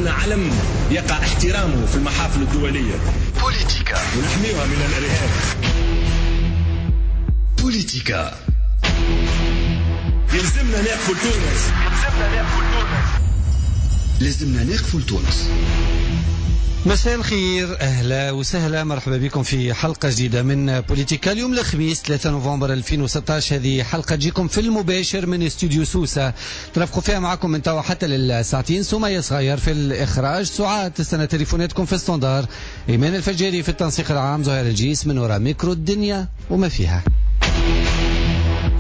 عندنا علم يقع احترامه في المحافل الدولية. بوليتيكا ونحميها من الإرهاب. بوليتيكا يلزمنا نقفوا لتونس. يلزمنا نقفوا لتونس. لازمنا نقفوا لتونس. مساء الخير، اهلا وسهلا، مرحبا بكم في حلقة جديدة من بوليتيكا. اليوم الخميس 3 نوفمبر 2016، هذه حلقة تجيكم في المباشر من استوديو سوسة، ترافقوا فيها معكم من توا حتى للساعتين. سمية صغير في الاخراج، سعاد تستنى تليفوناتكم في standard، ايمان الفجاري في التنسيق العام، زهير الجيس من وراء ميكرو الدنيا وما فيها.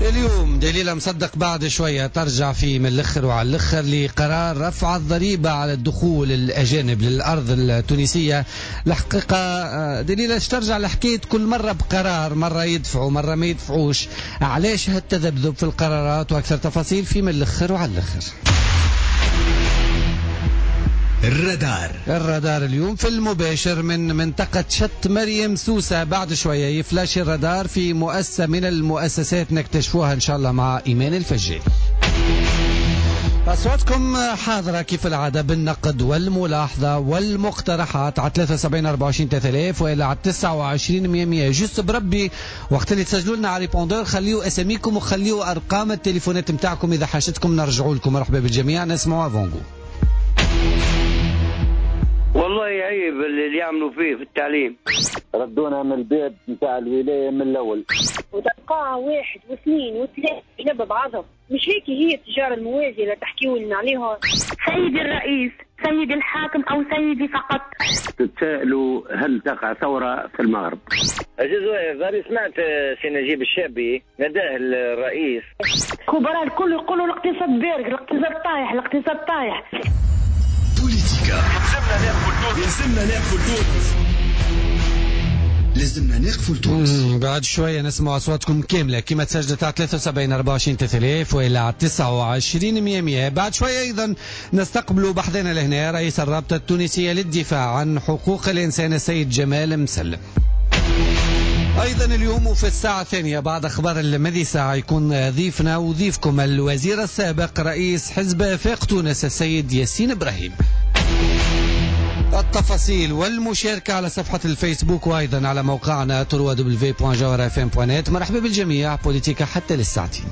اليوم دليلة مصدق بعد شوية ترجع في من الأخر وعلى الأخر لقرار رفع الضريبة على الدخول الأجانب للأرض التونسية. الحقيقة دليلة ترجع لحكاية كل مرة بقرار، مرة يدفعوا مرة ما يدفعوش، علاش هالتذبذب في القرارات؟ وأكثر تفاصيل في من الأخر وعلى الأخر. الرادار اليوم في المباشر من منطقة شط مريم سوسة. بعد شوية يفلاش الرادار في مؤسسة من المؤسسات نكتشفوها إن شاء الله مع إيمان الفجي. أصواتكم حاضرة كيف العادة بالنقد والملاحظة والمقترحات على 73 24 3000 وإلى على 29 100. juste بربي وقت اللي تسجلوا لنا على répondeur خليوا أساميكم وخليوا أرقام التليفونات نتاعكم إذا حاجتكم نرجعوا لكم. مرحبا بالجميع. نسمعوا avant-goût. والله عيب اللي يعملوا فيه في التعليم. ردونا من الباب نتاع الولاية من الأول. وتلقاها 1 و2 و3 ينبه بعضهم. مش هيك هي التجارة الموازية اللي تحكيوا لنا عليها. سيدي الرئيس، سيدي الحاكم، أو سيدي فقط. تتساءلوا هل تقع ثورة في المغرب؟ عزيز واقف، سمعت سي نجيب الشابي نداه الرئيس. كبراء الكل يقولوا الاقتصاد بارد، الاقتصاد طايح، الاقتصاد طايح. بوليتيكا يلزمنا نقفوا لتونس. لازمنا نقفوا لتونس. بعد شوية نسمع أصواتكم كاملة كما تسجلت على 73 24 3000 وإلى على 29 100. بعد شوية أيضا نستقبل بحثنا لهنا رئيس الرابطة التونسية للدفاع عن حقوق الإنسان السيد جمال مسلم. أيضا اليوم وفي الساعة الثانية بعد أخبار المذي ساعة يكون ضيفنا وضيفكم الوزير السابق رئيس حزب فاق تونس السيد ياسين إبراهيم. التفاصيل والمشاركة على صفحة الفيسبوك وأيضا على موقعنا www.jawharafm.net. مرحبا بالجميع. بوليتيكا حتى للساعتين.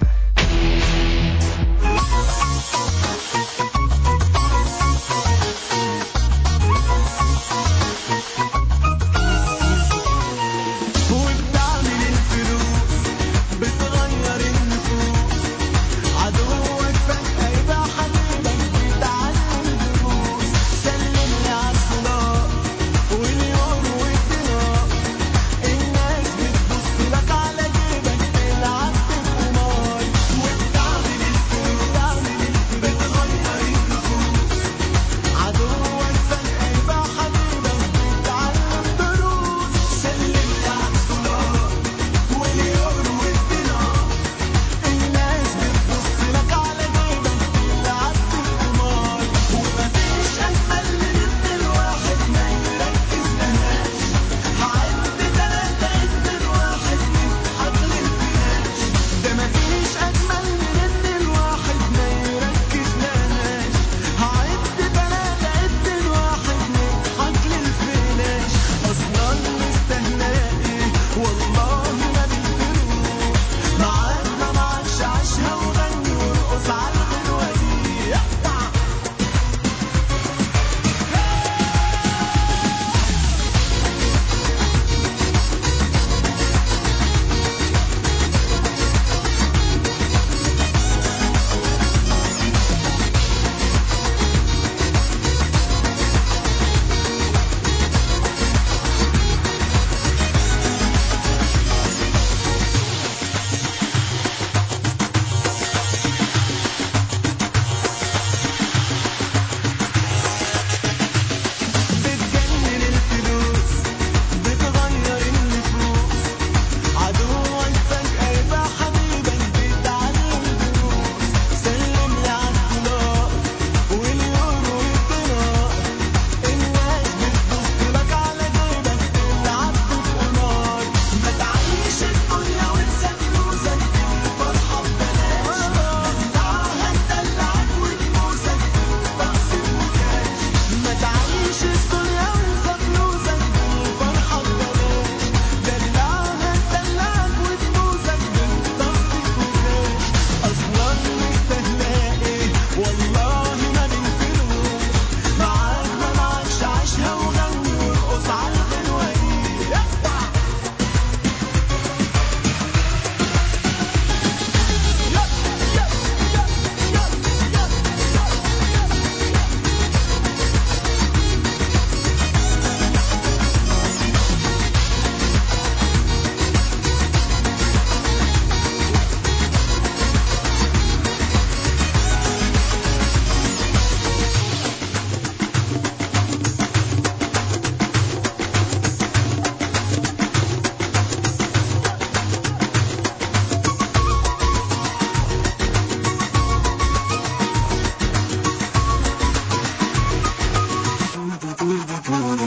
وبتعمل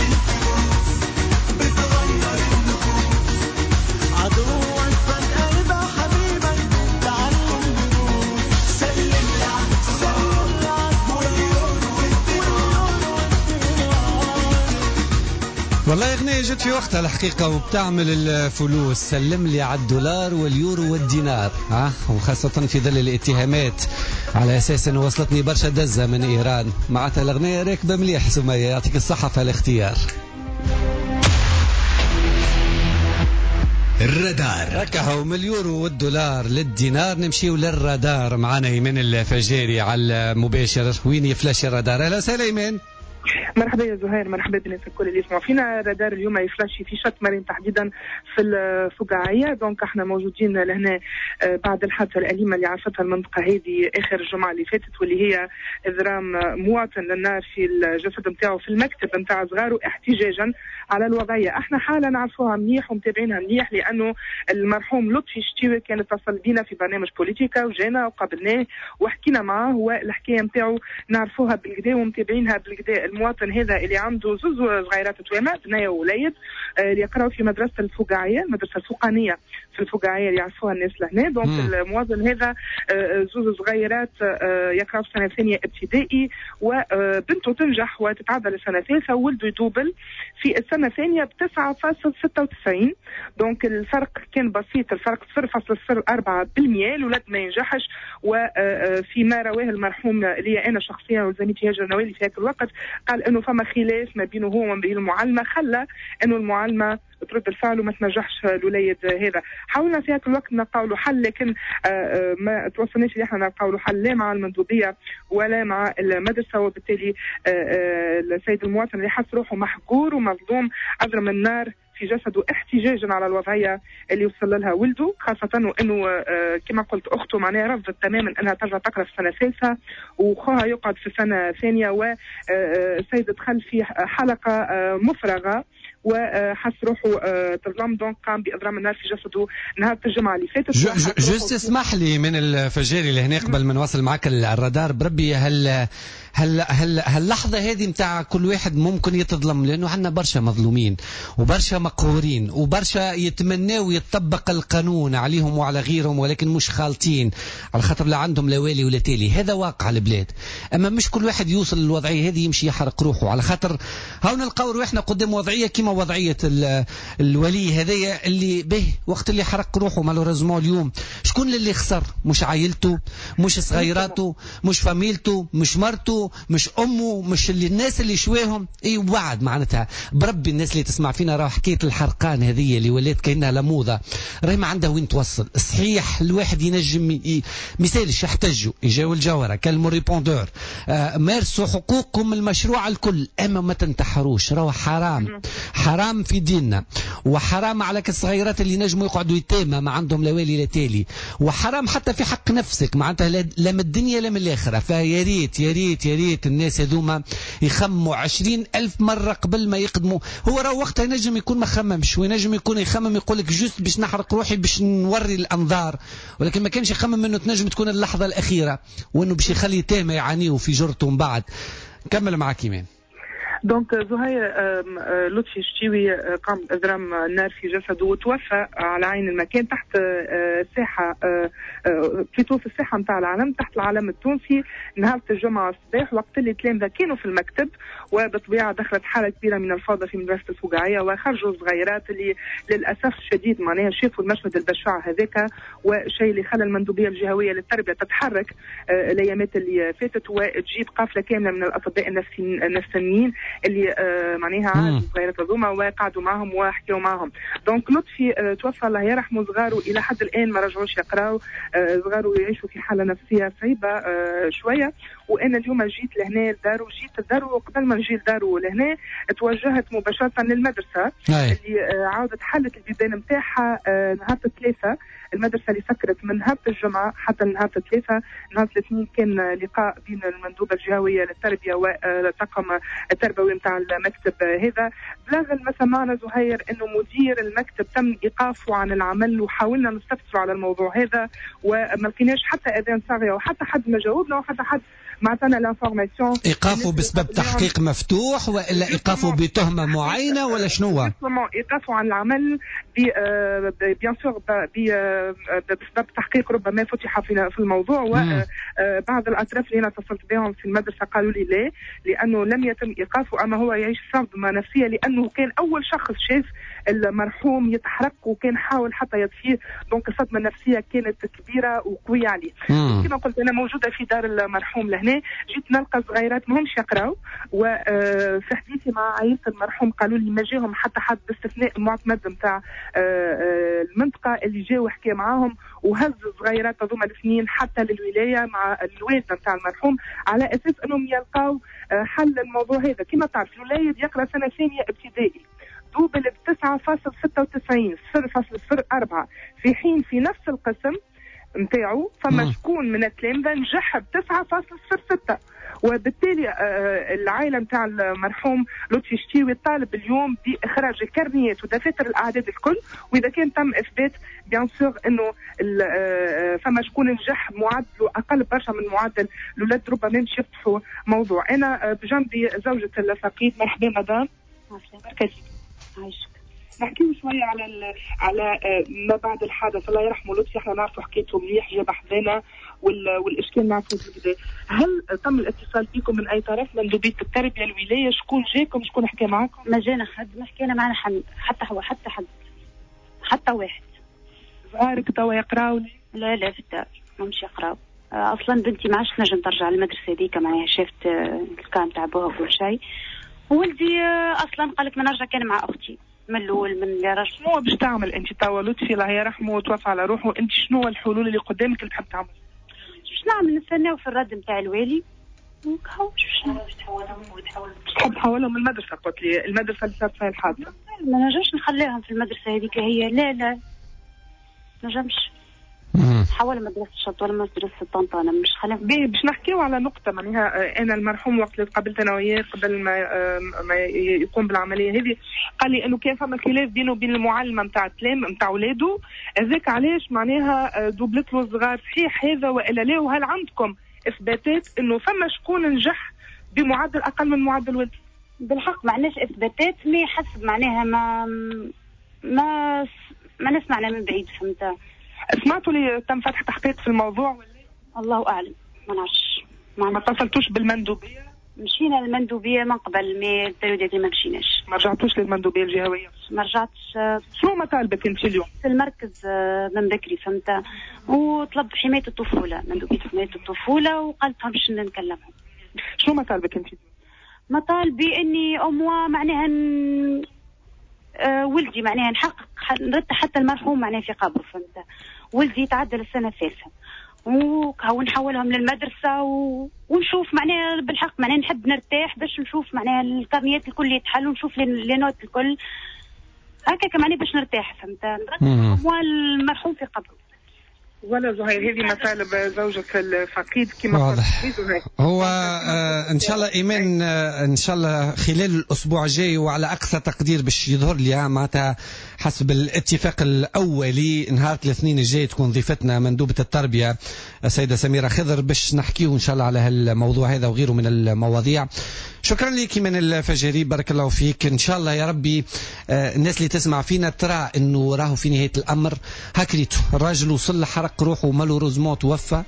الفلوس بتغير النفوس، عدوك فجأة يبقى حبيبك، تعلم دروس. سلم لي سلم واليورو والدينار. والله أغنية جت في وقتها الحقيقة وبتعمل الفلوس. سلم لي على الدولار واليورو والدينار، ها، وخاصة في ظل الاتهامات على أساس أنه وصلتني برشا دزة من إيران. معناتها الأغنية راكبة مليح. سمية يعطيك الصحة في الاختيار. الرادار هكا من اليورو والدولار للدينار نمشيو للرادار. معنا ايمان الفجاري على المباشر. وين يفلاش الرادار؟ اهلا وسهلا ايمان. مرحبا يا زهير، مرحبا بالناس الكل اللي يسمعوا فينا. الرادار اليوم يفلاشي في شط مريم تحديدا في الفقاعيه. donc احنا موجودين لهنا بعد الحادثة الاليمة اللي عرفتها المنطقة هذه اخر الجمعة اللي فاتت، واللي هي اضرام مواطن للنار في الجسد نتاعو في المكتب نتاع صغاره احتجاجا على الوضعية. احنا حاله نعرفوها مليح ومتابعينها مليح، لانه المرحوم لطفي الشتيوي كان اتصل بينا في برنامج بوليتيكا وجانا وقابلناه وحكينا معاه، والحكاية نتاعو نعرفوها بالكدا ومتابعينها بالكدا. المواطن هذا اللي عنده زوز صغيرات توامه، بنيه ووليد، اللي يقراوا في مدرسه الفقاعيه، المدرسة الفوقانيه في الفقاعيه اللي يعرفوها الناس لهنا. donc المواطن هذا زوز صغيرات يقراوا في سنة ثانية ابتدائي، وبنته تنجح وتتعدى للسنة الثالثة، وولده يدوبل في السنة الثانية ب 9.96. donc الفرق كان بسيط، الفرق 0.04%. الولد ما ينجحش. وفيما رواه المرحوم اللي انا شخصيا وزميلتي هاجر نوالي في هذا الوقت، قال انه فما خلاف ما بينه هو وما بين المعلمة، خلى انه المعلمة ترد الفعل وما تنجحش الوليد هذا. حاولنا في هذا الوقت نلقاو له حل، لكن ما توصلناش اللي احنا نلقاو له حل لا مع المندوبيه ولا مع المدرسة، وبالتالي السيد المواطن اللي حس روحه محقور ومظلوم اضرم النار في جسده احتجاجا على الوضعية اللي وصل لها ولده، خاصة وانه كما قلت اخته معناها رفضت تماما انها ترجع تقرا في السنة الثالثة وخوها يقعد في السنة الثانية. والسيد دخل في حلقة مفرغة وحس روحه تظلم، donc قام باضرام النار في جسده نهار الجمعة اللي فاتت. juste اسمح لي من الفجاري اللي هنا قبل ما نواصل معك الرادار، بربي هل هل هل هاللحظة هذه نتاع كل واحد ممكن يتظلم، لانه عندنا برشا مظلومين وبرشا مقهورين وبرشا يتمناو يتطبق القانون عليهم وعلى غيرهم، ولكن مش خالطين على خاطر لا عندهم لا والي ولا تالي. هذا واقع البلاد. اما مش كل واحد يوصل للوضعيه هذه يمشي يحرق روحه، على خاطر هاو نلقاو روحنا قدام وضعية كيما وضعية الولي هذايا اللي به وقت اللي حرق روحه malheureusement. اليوم شكون اللي خسر؟ مش عائلته، مش صغيراته، مش فاميلته، مش مرته، مش امه، مش اللي الناس اللي شواهم. اي وبعد معناتها بربي الناس اللي تسمع فينا راه حكاية الحرقان هذه اللي ولات كانها لموضه راهي ما عندها وين توصل. صحيح الواحد ينجم مثالش يحتجوا، يجاو الجوهرة، كلموا répondeur، مارسوا حقوقكم المشروعة الكل، اما ما تنتحروش، راهو حرام، حرام في ديننا، وحرام على الصغيرات اللي نجموا يقعدوا يتامى ما عندهم لا والي لا تالي، وحرام حتى في حق نفسك معناتها لا من الدنيا لا من الاخرة. فيا ريت يا ريت يا ريت الناس هذوما يخموا 20,000 مرة قبل ما يقدموا. هو راه وقتها ينجم يكون ما خممش، وينجم يكون يخمم يقول لك juste باش نحرق روحي باش نوري الأنظار، ولكن ما كانش يخمم انه تنجم تكون اللحظة الأخيرة وانه باش يخلي يتامى يعانيوا في جرته من بعد. كمل معك إيمان. donc زهير لطفي الشتيوي قام بإضرام النار في جسده وتوفى على عين المكان تحت ساحة plutôt في الساحة نتاع العلم، تحت العلم التونسي، نهار الجمعة الصباح وقت اللي التلامذة كانوا في المكتب. وبالطبيعة دخلت حالة كبيرة من الفوضى في مدرسة الفقاعية، وخرجوا الصغيرات اللي للأسف الشديد معناها شافوا المشهد البشع هذاك، وشيء اللي خلى المندوبية الجهوية للتربية تتحرك الأيامات اللي فاتت وتجيب قافلة كاملة من الأطباء النفسيين اللي معناها عادوا الصغيرات هذوما وقعدوا معهم وحكيوا معهم. donc لطفي توفى الله يرحمه، صغارة الى حد الان ما رجعوش يقراوا، صغارة يعيشوا في حاله نفسية صعيبة شوية. وانا اليوم جيت لهنا لدارو، جيت لدارو قبل ما نجي لدارو لهنا توجهت مباشرة للمدرسة اللي عاودت حلت البيبان نتاعها نهار الثلاثاء. المدرسة اللي سكرت من نهار الجمعة حتى نهار الثلاثاء. نهار الاثنين كان لقاء بين المندوبه الجهوية للتربية والطاقم التربوي نتاع المكتب هذا. بلغ ما سمعنا زهير انه مدير المكتب تم ايقافه عن العمل، وحاولنا نستفسر على الموضوع هذا وما لقيناش حتى اذان صاغيه وحتى حد ما جاوبنا وحتى حد ما عطانا l'information. ايقافه بسبب تحقيق مفتوح والا ايقافه بتهمه معينة ولا شنو؟ ايقافه عن العمل bien sûr بسبب تحقيق ربما فتح في الموضوع. وبعض الاطراف اللي انا اتصلت بهم في المدرسة قالوا لي لا، لانه لم يتم ايقافه، اما هو يعيش صدمة نفسية لانه كان اول شخص شاف المرحوم يتحرق وكان حاول حتى يطفيه، donc الصدمة النفسية كانت كبيرة وقويه عليه. كما قلت انا موجودة في دار المرحوم لهنا، جيت نلقى صغيرات ماهمش يقراو، وفي حديثي مع عائلة المرحوم قالوا لي ما جاهم حتى حد باستثناء المعتمد نتاع المنطقة اللي جاوا وحكى معاهم وهز الصغيرات هذوما الاثنين حتى للولاية مع الوالدة نتاع المرحوم على اساس انهم يلقاو حل الموضوع هذا. كما تعرف الوليد يقرا سنة ثانية ابتدائي، double ب 9.96 0.04، في حين في نفس القسم نتاعو فما شكون من التلامذه نجح ب 9.06. وبالتالي العائلة نتاع المرحوم لطفي شتيوي طالب اليوم باخراج الكرنيات ودفاتر الاعداد الكل، واذا كان تم اثبات bien sûr انه فما شكون نجح معدله اقل برشا من معدل الاولاد، ربما باش يفتحوا موضوع. انا بجنبي زوجة الفقيد. مرحبا مدام. مرحبا. عايشك. نحكيو شوية على ما بعد الحادث. الله يرحمه لطفي، احنا نعرفوا حكايته مليح، جاب حذانا والاشكال نعرفوا بالكدا. هل تم الاتصال بكم من اي طرف، مندوبيه التربية، الولاية، شكون جاكم، شكون حكى معاكم؟ ما جانا حد، ما حكينا معنا حد، حتى هو، حتى حد، حتى واحد. صغارك توا يقراو؟ لا لا، في الدار ماهمش يقراو اصلا. بنتي ما عادش تنجم ترجع للمدرسة هذيك، معناها شافت الكام تاع بوها وكل شيء. ولدي اصلا قال لك ما نرجع كان مع اختي من الاول من اللي رجع. شنو باش تعمل انت توا؟ لطفي الله يرحمه وتوفى على روحه، انت شنو الحلول اللي قدامك اللي تحب تعمل؟ باش نعمل؟ نستناو في الرد نتاع الوالي وكهو. باش تحب تحولهم المدرسة؟ قلت لي المدرسة اللي صارت فيها الحادثة. ما نجمش نخليهم في المدرسة هذيك هي، لا لا نجمش حول مدرسة الشط ولا مدرسة طنطانة، مش خليهم. باهي، باش نحكيو على نقطة معناها أنا المرحوم وقت اللي تقابلت أنا وياه قبل ما يقوم بالعملية هذه قال لي إنه كان فما خلاف بينه وبين المعلمة نتاع التلام نتاع ولاده، هذاك علاش معناها دوبلت له الصغار. صحيح هذا وإلا لا؟ وهل عندكم إثباتات إنه فما شكون نجح بمعدل أقل من معدل ولده؟ بالحق ما عندناش إثباتات، mais حسب معناها ما ما ما نسمعنا من بعيد، فهمت؟ سمعتوا لي تم فتح تحقيق في الموضوع ولا؟ الله اعلم، ما نعرفش. ما اتصلتوش بالمندوبيه؟ مشينا للمندوبيه من قبل، mais ال période هذه ما مشيناش. ما رجعتوش للمندوبيه الجهوية؟ ما رجعتش. شنو مطالبك انت اليوم؟ في المركز من بكري، فهمت؟ وطلب حماية الطفولة، مندوبيه حماية الطفولة، وقالت لهم باش نكلمهم. شنو مطالبك انت؟ مطالبي اني au moins معناها ولدي معناها نحقق نرد حتى المرحوم معناها في قبره، فهمت؟ ولدي يتعدل السنة الثالثة ونحولهم للمدرسة ونشوف معناها بالحق معناها نحب نرتاح باش نشوف معناها الكرنيات الكل يتحلوا ونشوف les notes الكل هكاك معناها باش نرتاح، فهمت؟ نرد المرحوم في قبره. ولا زهير، هذه مطالب زوجة الفقيد كما واضح. هو ان شاء الله ايمان، ان شاء الله خلال الاسبوع الجاي وعلى اقصى تقدير باش يظهر لي معناتها حسب الاتفاق الاولي نهار الاثنين الجاي تكون ضيفتنا مندوبة التربية السيدة سميرة خضر باش نحكيو ان شاء الله على هالموضوع هذا وغيره من المواضيع. شكرا لك من الفجري، بارك الله فيك. ان شاء الله يا ربي الناس اللي تسمع فينا ترى انه راهو في نهاية الامر هكريتو الراجل وصل لحرق روحه، malheureusement توفى،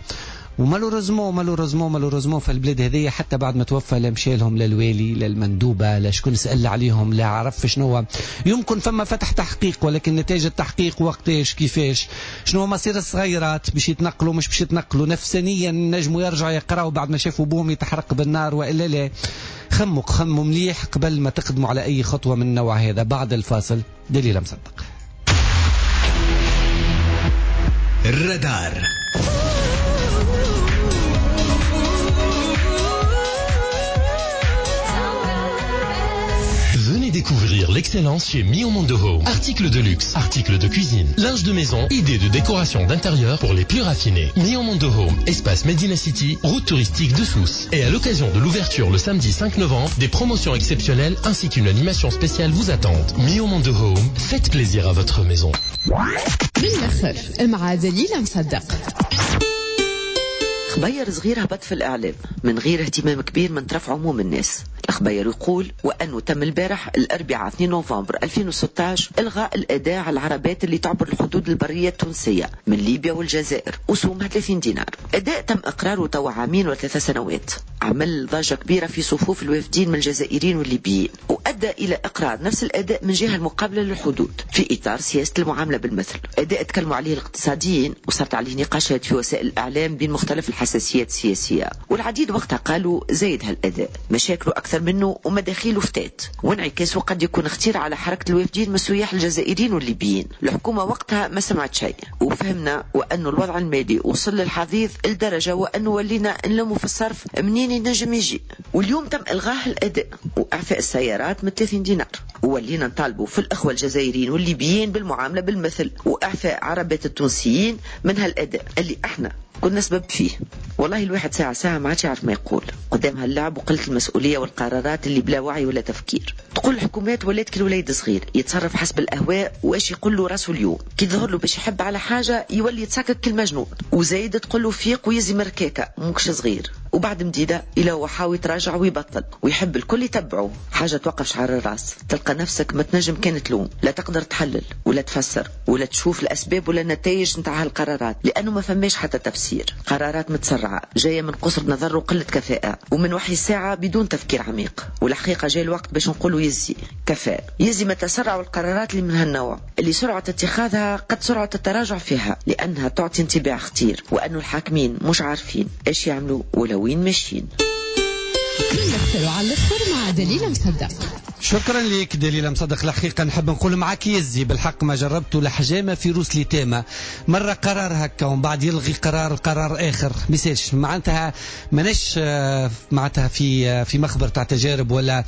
و malheureusement malheureusement malheureusement في البلاد هذيا حتى بعد ما توفى لا مشى لهم لا الوالي لا المندوبه لا شكون سال عليهم لا عرف شنو. يمكن فما فتح تحقيق، ولكن نتائج التحقيق وقتاش كيفاش شنو مصير الصغيرات باش يتنقلوا مش باش يتنقلوا نفسانيا نجموا يرجعوا يقراوا بعد ما شافوا بوهم يتحرق بالنار والا لا. خموا مليح قبل ما تقدموا على اي خطوة من النوع هذا. بعد الفاصل دليل مصدق. الرادار. Venez découvrir l'excellence chez Mio Mondo Home. Articles de luxe, articles de cuisine, linge de maison, idées de décoration d'intérieur pour les plus raffinés. Mio Mondo Home, espace Medina City, route touristique de Sousse. Et à l'occasion de l'ouverture le samedi 5 novembre, des promotions exceptionnelles ainsi qu'une animation spéciale vous attendent. Mio Mondo Home, faites plaisir à votre maison. من الآخر مع دليل مصدق. خبير صغير هبط في الإعلام من غير اهتمام كبير من طرف عموم الناس. الخبير يقول وأنه تم البارح الأربعاء 2 نوفمبر 2016 إلغاء الأداء على العربات اللي تعبر الحدود البرية التونسية من ليبيا والجزائر وسومها 30 دينار. أداء تم إقراره توا 2 و3 سنوات، عمل ضجة كبيرة في صفوف الوافدين من الجزائريين والليبيين، وأدى إلى إقرار نفس الأداء من جهة المقابلة للحدود في إطار سياسة المعاملة بالمثل. أداء تكلموا عليه الاقتصاديين وصارت عليه نقاشات في وسائل الإعلام بين مختلف الحساسيات السياسية، والعديد وقتها قالوا زايد هالأداء، مشاكله أكثر منه ومداخيله فتات، وانعكاسه قد يكون خطير على حركة الوافدين من السياح الجزائريين والليبيين. الحكومة وقتها ما سمعت شيء، وفهمنا وأنه الوضع المالي وصل للحضيض لدرجة وأنه ولينا نلموا في الصرف منين ينجم يجي. واليوم تم إلغاء الأداء وإعفاء السيارات من 30 دينار، وولينا نطالبوا في الأخوة الجزائريين والليبيين بالمعاملة بالمثل وإعفاء عربات التونسيين من هالأداء اللي احنا كنا سبب فيه. والله الواحد ساعة ساعة ما عادش يعرف ما يقول قدام هاللعب وقلة المسؤولية والقرارات اللي بلا وعي ولا تفكير. تقول الحكومات ولات كل وليد صغير يتصرف حسب الأهواء واش يقول له راسه اليوم، كي تظهر له باش يحب على حاجة يولي يتسكك كالمجنون، وزايد تقول له فيق ويزي مركاكة مكش صغير، وبعد مديدة إلى هو حاول يتراجع ويبطل ويحب الكل يتبعه. حاجة توقف شعر الراس، تلقى نفسك ما تنجم كان تلوم، لا تقدر تحلل ولا تفسر ولا تشوف الأسباب ولا النتائج نتاع هالقرارات، لأنه ما فماش حتى تفسير. قرارات متسرعة جاية من قصر نظر وقلة كفاءة ومن وحي الساعة بدون تفكير عميق. والحقيقة جاي الوقت باش نقولوا يزي كفاء، يزي ما تسرعوا القرارات اللي من هالنوع اللي سرعة اتخاذها قد سرعة التراجع فيها، لأنها تعطي انطباع خطير وأنه الحاكمين مش عارفين ايش يعملوا ولا وين ماشيين. على الآخر مع دليلة مصدق. شكرا لك دليلة مصدق. الحقيقة نحب نقول معك يزي بالحق ما جربته لحجامة في روس لتامة، مرة قرار هكا ومن بعد يلغي قرار آخر، ميساش معناتها ماناش معناتها في مخبر تاع تجارب ولا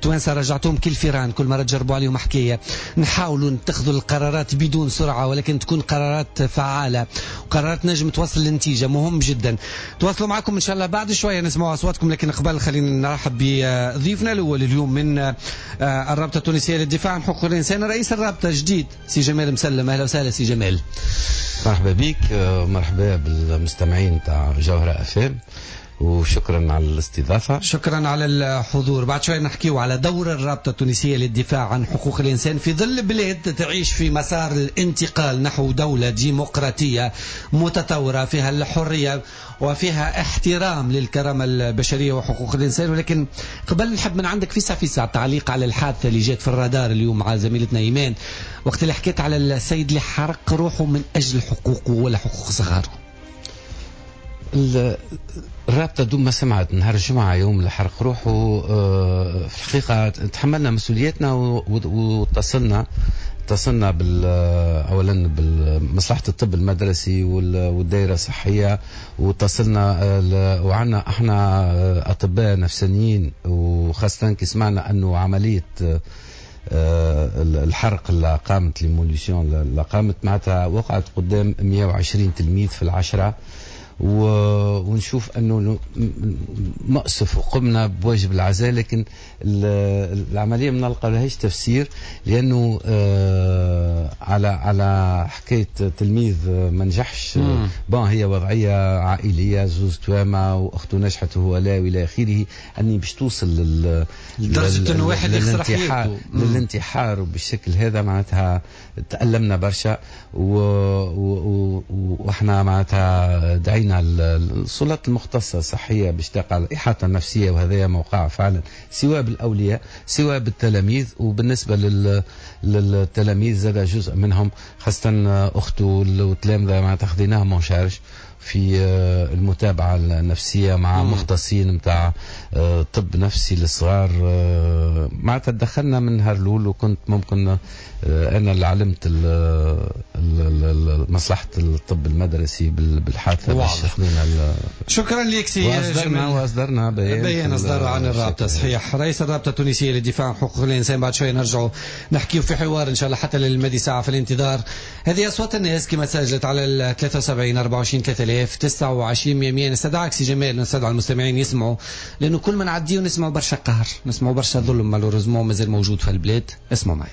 توانسة رجعتهم كل فيران كل مرة تجربوا عليهم حكاية. نحاولوا نتخذوا القرارات بدون سرعة ولكن تكون قرارات فعالة وقرارات نجم توصل للنتيجة، مهم جدا. تواصلوا معكم إن شاء الله بعد شوية نسمعوا أصواتكم، لكن قبل خلينا نرحب بضيفنا الأول اليوم من الرابطة التونسية للدفاع عن حقوق الإنسان، رئيس الرابطة جديد سي جمال مسلم. أهلا وسهلا سي جمال. مرحبا بك، مرحبا بالمستمعين تاع جوهرة أف أم، وشكرا على الاستضافة. شكرا على الحضور. بعد شوي نحكيو على دور الرابطة التونسية للدفاع عن حقوق الإنسان في ظل بلاد تعيش في مسار الانتقال نحو دولة ديمقراطية متطورة فيها الحرية وفيها احترام للكرامة البشرية وحقوق الإنسان. ولكن قبل نحب من عندك في ساعة تعليق على الحادثة اللي جات في الرادار اليوم مع زميلتنا إيمان وقت اللي حكيت على السيد اللي حرق روحه من أجل حقوقه ولا حقوق صغاره. الرابطة دوم ما سمعت نهار الجمعة يوم اللي حرق روحه، في الحقيقة تحملنا مسؤوليتنا واتصلنا اولا بمصلحة الطب المدرسي والدائرة الصحية، واتصلنا وعنا احنا اطباء نفسانيين، وخاصة كي سمعنا انه عملية الحرق اللي قامت l'immolation اللي قامت معناتها وقعت قدام 120 تلميذ في العشرة، ونشوف انه مأسف وقمنا بواجب العزاء، لكن العملية ما نلقى لهاش تفسير، لانه على حكاية تلميذ ما نجحش، bon هي وضعية عائلية، زوز توامه واخته نجحت وهو لا والى اخره، اني باش توصل لدرجة انه واحد يخسر حياته للانتحار وبالشكل هذا معناتها تألمنا برشا، واحنا معناتها دعينا السلطات المختصة الصحية باش تقع الإحاطة النفسية، وهذا موقع فعلا سواء بالأولياء سواء بالتلاميذ. وبالنسبة للتلاميذ زاد جزء منهم خاصة أخته والتلامذة معناتها خذيناهم en charge في المتابعة النفسية مع مختصين متاع طب نفسي للصغار. معناتها تدخلنا من نهار الأول، وكنت ممكن أنا اللي علمت مصلحة الطب المدرسي بالحادثة. واضح. شكرا لك سي جمال. وأصدرنا بيان أصدره عن الرابطة. صحيح، رئيس الرابطة التونسية للدفاع عن حقوق الإنسان. بعد شوي نرجعوا نحكيو في حوار إن شاء الله حتى للمدي ساعة في الانتظار. هذه أصوات الناس كما سجلت على 73 24 3000 29 100. نستدعك سي جمال، نستدعى المستمعين يسمعوا، لأنه كل ما نعديه نسمعوا برشا قهر، نسمعوا برشا ظلم malheureusement مازال موجود في البلاد. اسمعوا معي.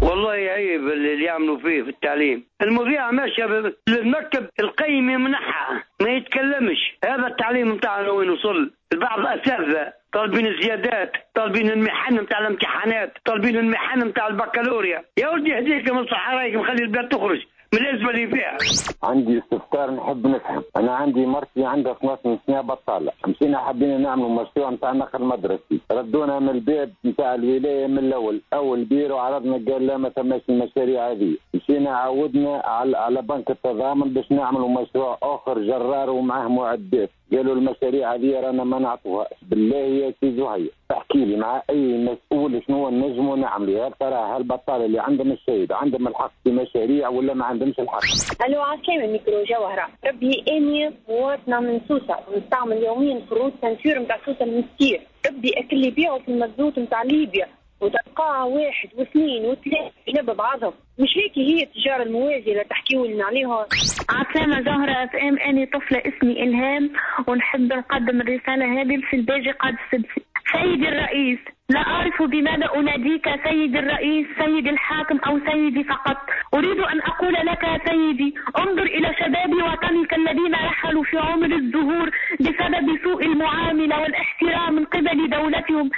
والله عيب اللي اللي يعملوا فيه في التعليم. المذيعة ماشية للمكتب القيم يمنحها ما يتكلمش. هذا التعليم نتاعنا وين وصل؟ البعض أساتذة طالبين الزيادات، طالبين المحن نتاع الامتحانات، طالبين المحن نتاع البكالوريا. يا ولدي يهديك من صحرايك، مخلي البلاد تخرج من الأزمة اللي فيها. عندي استفسار نحب نفهم. أنا عندي مرتي عندها 12 سنة بطالة، مشينا حبينا نعملوا مشروع نتاع نقل مدرسي، ردونا من الباب نتاع الولاية من الأول، أول بيرو عرضنا قال لا ما ثماش المشاريع هذه، مشينا عودنا على بنك التضامن باش نعملوا مشروع آخر جرار ومعاه معدات، قالوا المشاريع هذه رانا ما نعطوها. بالله يا سي زهير احكي لي مع اي مسؤول شنو نجموا نعملوا؟ هل ترى هالبطاله اللي عندهم الشهيد عندهم الحق في مشاريع ولا ما عندهمش الحق؟ الو عسلامة ميكرو جوهرة، ربي اني مواطنة من سوسة ونستعمل يوميا فروت ceinture نتاع سوسة المستير، ربي اكل اللي يبيعوا في المزوت نتاع ليبيا وتلقاها 1 و2 و3 جنب بعضهم، مش هيك هي التجارة الموازية اللي تحكيوا لنا عليها. عسلامة زهرة FM، أني طفلة اسمي إلهام ونحب نقدم الرسالة هذه في الباجي قاد السبسي. سيدي الرئيس، لا أعرف بماذا أناديك سيدي الرئيس، سيدي الحاكم أو سيدي فقط. أريد أن أقول لك سيدي، انظر إلى شباب وطنك الذين رحلوا في عمر الزهور بسبب سوء المعاملة والاحترام من قبل دولتهم.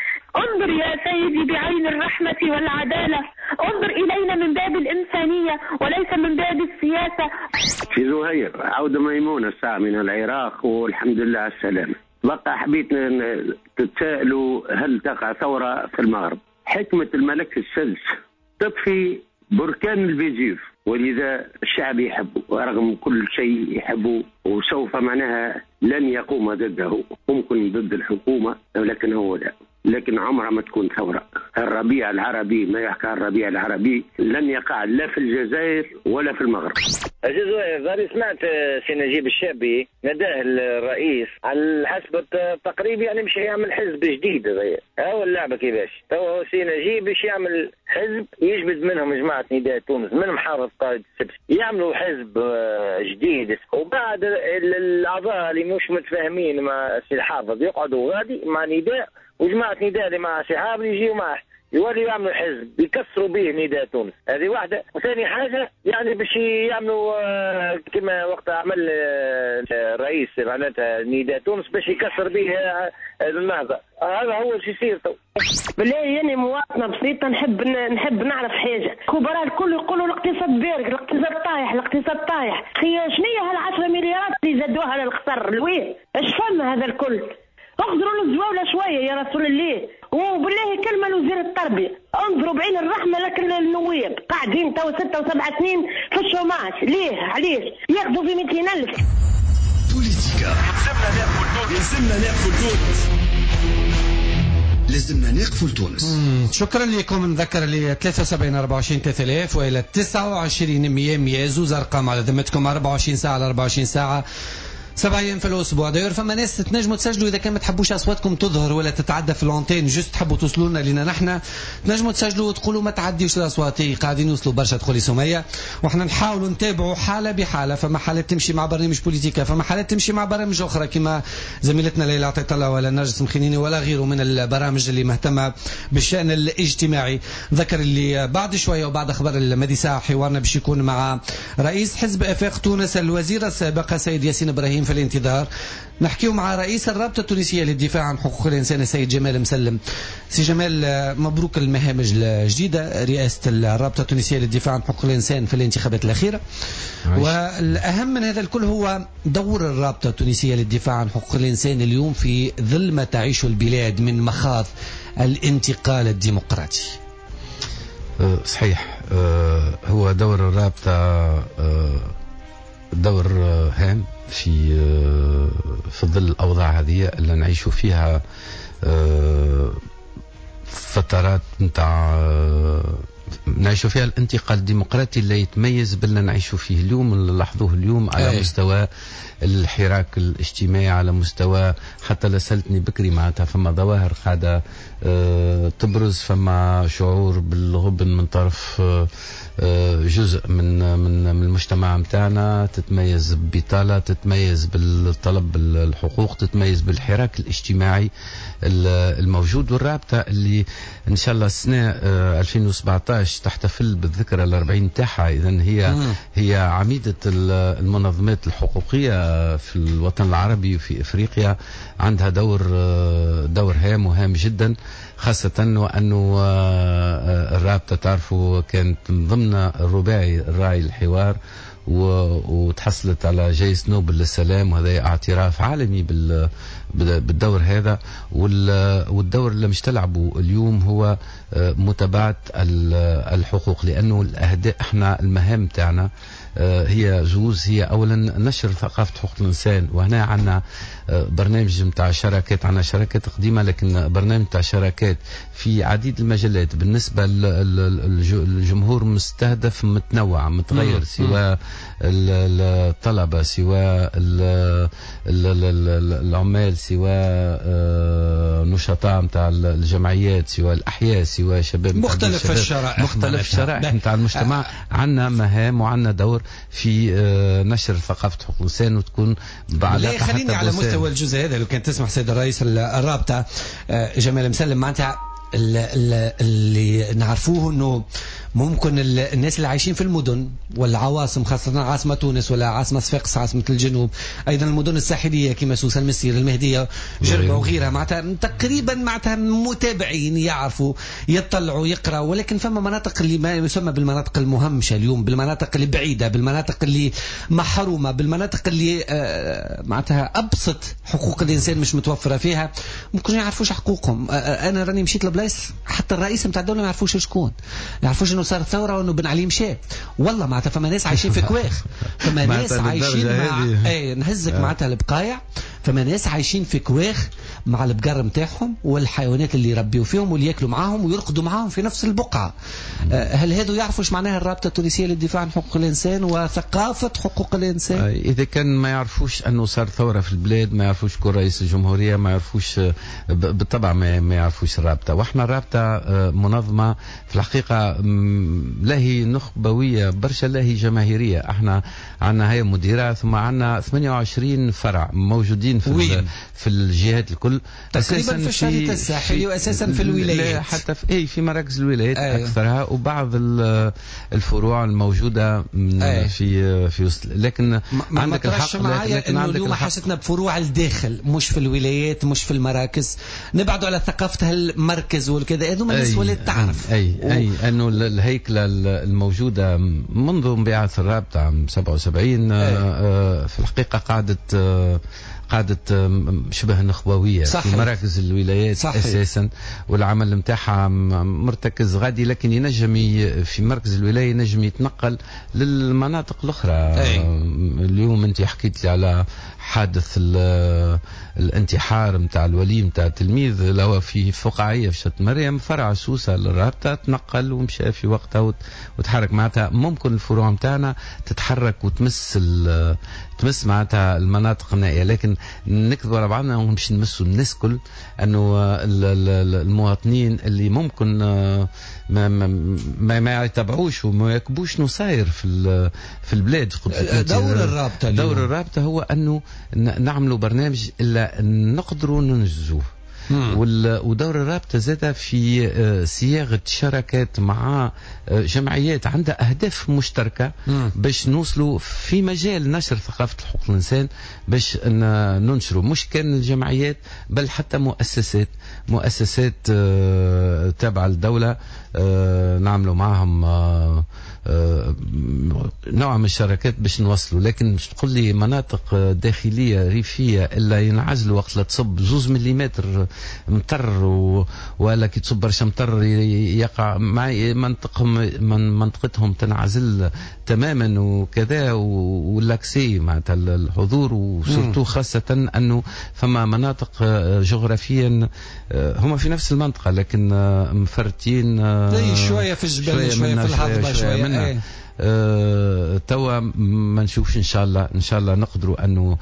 انظر يا سيدي بعين الرحمة والعدالة، انظر إلينا من باب الإنسانية وليس من باب السياسة. في زهير عودة ميمونة الساعة من العراق والحمد لله على السلامة. بقى حبيت تتساءلوا هل تقع ثورة في المغرب؟ حكمة الملك السادس تطفي بركان الفيزيف، ولذا الشعب يحبه ورغم كل شيء يحبه، وسوف معناها لن يقوم ضده، ممكن ضد الحكومة ولكن هو لا، لكن عمرها ما تكون ثورة. الربيع العربي ما يحكى الربيع العربي لن يقع لا في الجزائر ولا في المغرب. عزيز سمعت سي نجيب الشابي نداه الرئيس على حسب التقريب، يعني مش يعمل حزب جديد هذايا، هو اللعبة كيفاش تو سي نجيب باش يعمل حزب يجبد منهم جماعة نداء تونس، منهم حافظ قائد السبسي، يعملوا حزب جديد، وبعد الاعضاء اللي مش متفاهمين مع سي الحافظ يقعدوا غادي مع نداء، وجماعة نداء اللي مع سي حافظ يجيوا معه، يولي يعملوا حزب يكسروا به نداء تونس. هذه واحدة. وثاني حاجة يعني باش يعملوا كما وقت عمل الرئيس معناتها نداء تونس باش يكسر به النهضة. هذا هو الشيء يصير تو. بالله يعني مواطنة بسيطة نحب نعرف حاجة. خبراء الكل يقولوا الاقتصاد بارك، الاقتصاد طايح، الاقتصاد طايح. شنو هي هال10 مليارات اللي زادوها للقصر؟ لوين؟ اش فما هذا الكل؟ اخذروا الزواولة شوية يا رسول الله. وبالله كلمة لوزير التربية، انظروا بعين الرحمة لكن النواب قاعدين تو 6 و7 سنين في ال chômage، ليه؟ علاش؟ ياخذوا في 200,000. بوليتيكا يلزمنا نقفوا لتونس، لازمنا نقفوا لتونس. شكرا لكم. نذكر لي 73 24 3000 والى 29 100 100، زوز ارقام على ذمتكم، 24 ساعة على 24 ساعة، 7 ايام في الاسبوع. d'ailleurs فما ناس تنجموا تسجلوا اذا كان ما تحبوش اصواتكم تظهر ولا تتعدى في l'antenne، juste تحبوا توصلوا لنا لينا نحن، تنجموا تسجلوا وتقولوا ما تعديوش الاصوات، قاعدين يوصلوا برشا. تدخلي سميه وحنا نحاولوا نتابعوا حاله بحاله. فما حالات تمشي مع برنامج بوليتيكا، فما حالات تمشي مع برامج اخرى كما زميلتنا ليلى عطية الله ولا نرجس مخينيني ولا غيره من البرامج اللي مهتمة بالشان الاجتماعي. ذكر اللي بعد شوية وبعد اخبار المدي ساعة حوارنا باش يكون مع رئيس حزب افاق تونس الوزير السابق سيد ياسين ابراهيم في الانتظار. نحكيو مع رئيس الرابطة التونسية للدفاع عن حقوق الإنسان السيد جمال مسلم. سي جمال، مبروك المهام الجديدة، رئاسة الرابطة التونسية للدفاع عن حقوق الإنسان في الانتخابات الأخيرة. والأهم من هذا الكل هو دور الرابطة التونسية للدفاع عن حقوق الإنسان اليوم في ظل ما تعيشه البلاد من مخاض الانتقال الديمقراطي. صحيح، هو دور الرابطة دور هام في ظل الأوضاع هذه اللي نعيش فيها، فترات نتاع نعيش فيها الانتقال الديمقراطي اللي يتميز باللي نعيش فيه اليوم، اللي لاحظوه اليوم على مستوى الحراك الاجتماعي، على مستوى حتى لسلتني بكري معناتها فما ظواهر قاعدة تبرز، فما شعور بالغبن من طرف جزء من من المجتمع نتاعنا، تتميز ببطالة، تتميز بالطلب الحقوق، تتميز بالحراك الاجتماعي الموجود. والرابطة اللي ان شاء الله السنة 2017 تحتفل بالذكرى ال40 تاعها. اذا هي عميده المنظمات الحقوقية في الوطن العربي وفي افريقيا، عندها دور هام وهام جدا، خاصة وأنه الرابطة تعرفوا كانت من ضمن الرباعي الراعي الحوار وتحصلت على جائزة نوبل للسلام، وهذا اعتراف عالمي بالدور هذا. والدور اللي مش تلعبه اليوم هو متابعة الحقوق، لأنه الأهداف احنا المهام تاعنا هي زوز، هي أولا نشر ثقافة حقوق الإنسان، وهنا عندنا برنامج نتاع شراكات، عندنا شراكات قديمة لكن برنامج نتاع شراكات في عديد المجالات بالنسبة للجمهور مستهدف متنوع متغير، سواء الطلبة سواء العمال سواء نشطاء نتاع الجمعيات سواء الأحياء سواء شباب، مختلف الشرائح، مختلف الشرائح نتاع المجتمع. عندنا مهام وعندنا دور في نشر ثقافة حقوق الإنسان وتكون بعلاقة. خليني على مستوى الجزء هذا لو كان تسمح سيد الرئيس الرابطة جمال مسلم، معناتها اللي نعرفوه انه ممكن الناس اللي عايشين في المدن والعواصم، خاصة عاصمة تونس ولا عاصمة صفاقس عاصمة الجنوب، أيضا المدن الساحلية كما سوسة المسير المهدية جربة وغيرها، معناتها تقريبا معناتها متابعين يعرفوا يطلعوا يقرأوا، ولكن فما مناطق اللي ما يسمى بالمناطق المهمشة اليوم، بالمناطق اللي بعيدة، بالمناطق اللي محرومة، بالمناطق اللي معناتها أبسط حقوق الإنسان مش متوفرة فيها، ممكن يعرفوش حقوقهم. أنا راني مشيت لبلايص حتى الرئيس نتاع الدولة ما يعرفوش شكون، ما يعرفوش انه صار ثورة وانه بن علي مشى. والله معناتها فما ناس عايشين في كواخ، فما ناس عايشين مع اي نهزك معناتها البقايع، فما ناس عايشين في كواخ مع البقر نتاعهم والحيوانات اللي يربيوا فيهم واللي ياكلوا معاهم ويرقدوا معاهم في نفس البقعة. هل هذو يعرفوا ايش معناها الرابطة التونسية للدفاع عن حقوق الإنسان وثقافة حقوق الإنسان؟ إذا كان ما يعرفوش أنه صار ثورة في البلاد، ما يعرفوش كون رئيس الجمهورية، ما يعرفوش بالطبع ما يعرفوش الرابطة. واحنا الرابطة منظمة في الحقيقة لا هي نخبوية برشا لا هي جماهيرية، احنا عندنا هي مديرة ثم عندنا 28 فرع موجودين في الجهات الكل تقريبا، في الشريط الساحلي واساسا في الولايات، حتى في في مراكز الولايات اكثرها، وبعض الفروع الموجودة في وسط. لكن عندك الحق، لكن عندك اليوم حاجتنا بفروع الداخل مش في الولايات مش في المراكز، نبعدوا على ثقافة المركز والكذا، هذوما الناس ولات تعرف. اي انه الهيكله الموجودة منذ انبعاث الرابطة عام 77 في الحقيقة قعدت شبه نخبوية. صحيح. في مراكز الولايات. صحيح. أساسا، والعمل متاعها مرتكز غادي، لكن ينجم في مركز الولاية ينجم يتنقل للمناطق الأخرى. اليوم أنت حكيت لي على حادث الانتحار متاع الولي متاع التلميذ اللي هو في فقاعية في شط مريم، فرع سوسة للرابطة تنقل ومشى في وقتها وتحرك. معناتها ممكن الفروع متاعنا تتحرك وتمس تمس معناتها المناطق النائية، لكن نكذبوا على بعضنا ومش نمسوا الناس كل، انه المواطنين اللي ممكن ما ما ما, ما يتبعوش وما يكبوش شنو صاير في البلاد. دور الرابطة، دور الرابطة هو انه نعملوا برنامج الا نقدروا ننجزوه. ودور الرابطة زادة في صياغة شراكات مع جمعيات عندها أهداف مشتركة باش نوصلوا في مجال نشر ثقافة حقوق الإنسان، باش ننشروا مش كان الجمعيات بل حتى مؤسسات تابعة للدولة، نعملوا معهم نوع من الشراكات باش نوصلوا. لكن مش تقول لي مناطق داخلية ريفية إلا ينعزلوا وقت لا تصب 2 مليمتر مطر ولا كي تصب برشا مطر يقع مع منطقتهم تنعزل تماما وكذا، و l'accès معناتها الحضور، و surtout خاصة أنه فما مناطق جغرافيا هما في نفس المنطقة لكن مفرتين شوية في الجبل شوية في الهضبة شوية منها. توا ما نشوفش، ان شاء الله نقدروا انه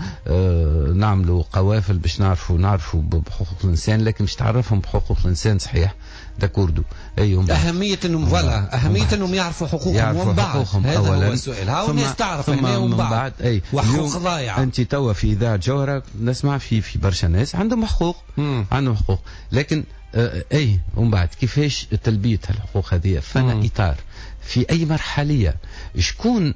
نعملوا قوافل باش نعرفوا بحقوق الانسان، لكن مش تعرفهم بحقوق الانسان صحيح d'accord ايهم اهمية انهم voilà اهمية انهم يعرفوا حقوقهم ومن بعد، هذا هو السؤال. هاو الناس تعرف هنا ومن بعد وحقوق ضايعة. انت توا في اذاعة جوهره نسمع في برشا ناس عندهم حقوق، عندهم حقوق، لكن اي ومن بعد كيفاش تلبية الحقوق هذه؟ فانا اطار في اي مرحليه شكون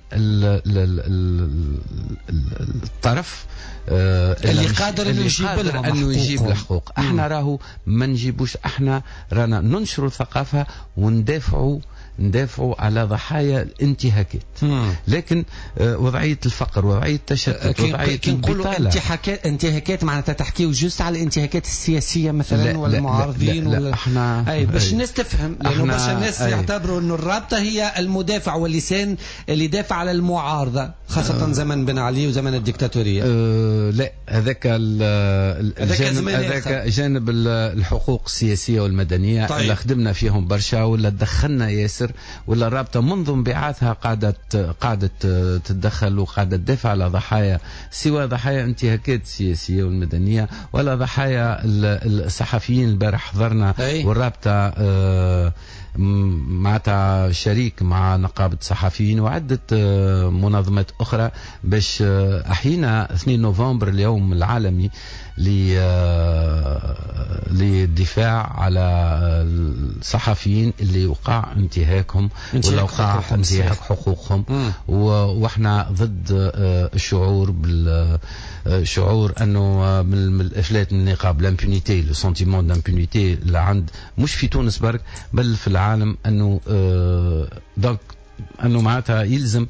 الطرف اللي قادر انه يجيب لهم انه يجيب الحقوق. احنا راهو ما نجيبوش، احنا رانا ننشروا الثقافة وندافعوا على ضحايا الانتهاكات. لكن وضعية الفقر، وضعية التشتت، وضعية البطالة. انتهاكات معناتها تحكيو juste على الانتهاكات السياسية مثلا ولا المعارضين ولا احنا اي باش الناس تفهم، لانه برشا الناس يعتبروا انه الرابطة هي المدافع واللسان اللي يدافع على المعارضة، خاصة زمن بن علي وزمن الديكتاتوريه. لا، هذاك الجانب، هذاك جانب الحقوق السياسية والمدنية. طيب. اللي خدمنا فيهم برشا ولا دخلنا ياسر، ولا الرابطة منذ انبعاثها قاعدة تتدخل وقاعدة تدافع على ضحايا، سواء ضحايا انتهاكات السياسية والمدنية ولا ضحايا الصحفيين. البارح حضرنا والرابطه معناتها شريك مع نقابة الصحفيين وعدة منظمات أخرى باش أحيينا 2 نوفمبر اليوم العالمي للدفاع على الصحفيين اللي وقع انتهاكهم ولا وقع انتهاك حقوقهم. واحنا ضد الشعور بالشعور انه من الافلات من النقاب، l'impunité، le sentiment d'impunité اللي عند مش في تونس برك بل في العالم، انه donc انه معناتها يلزم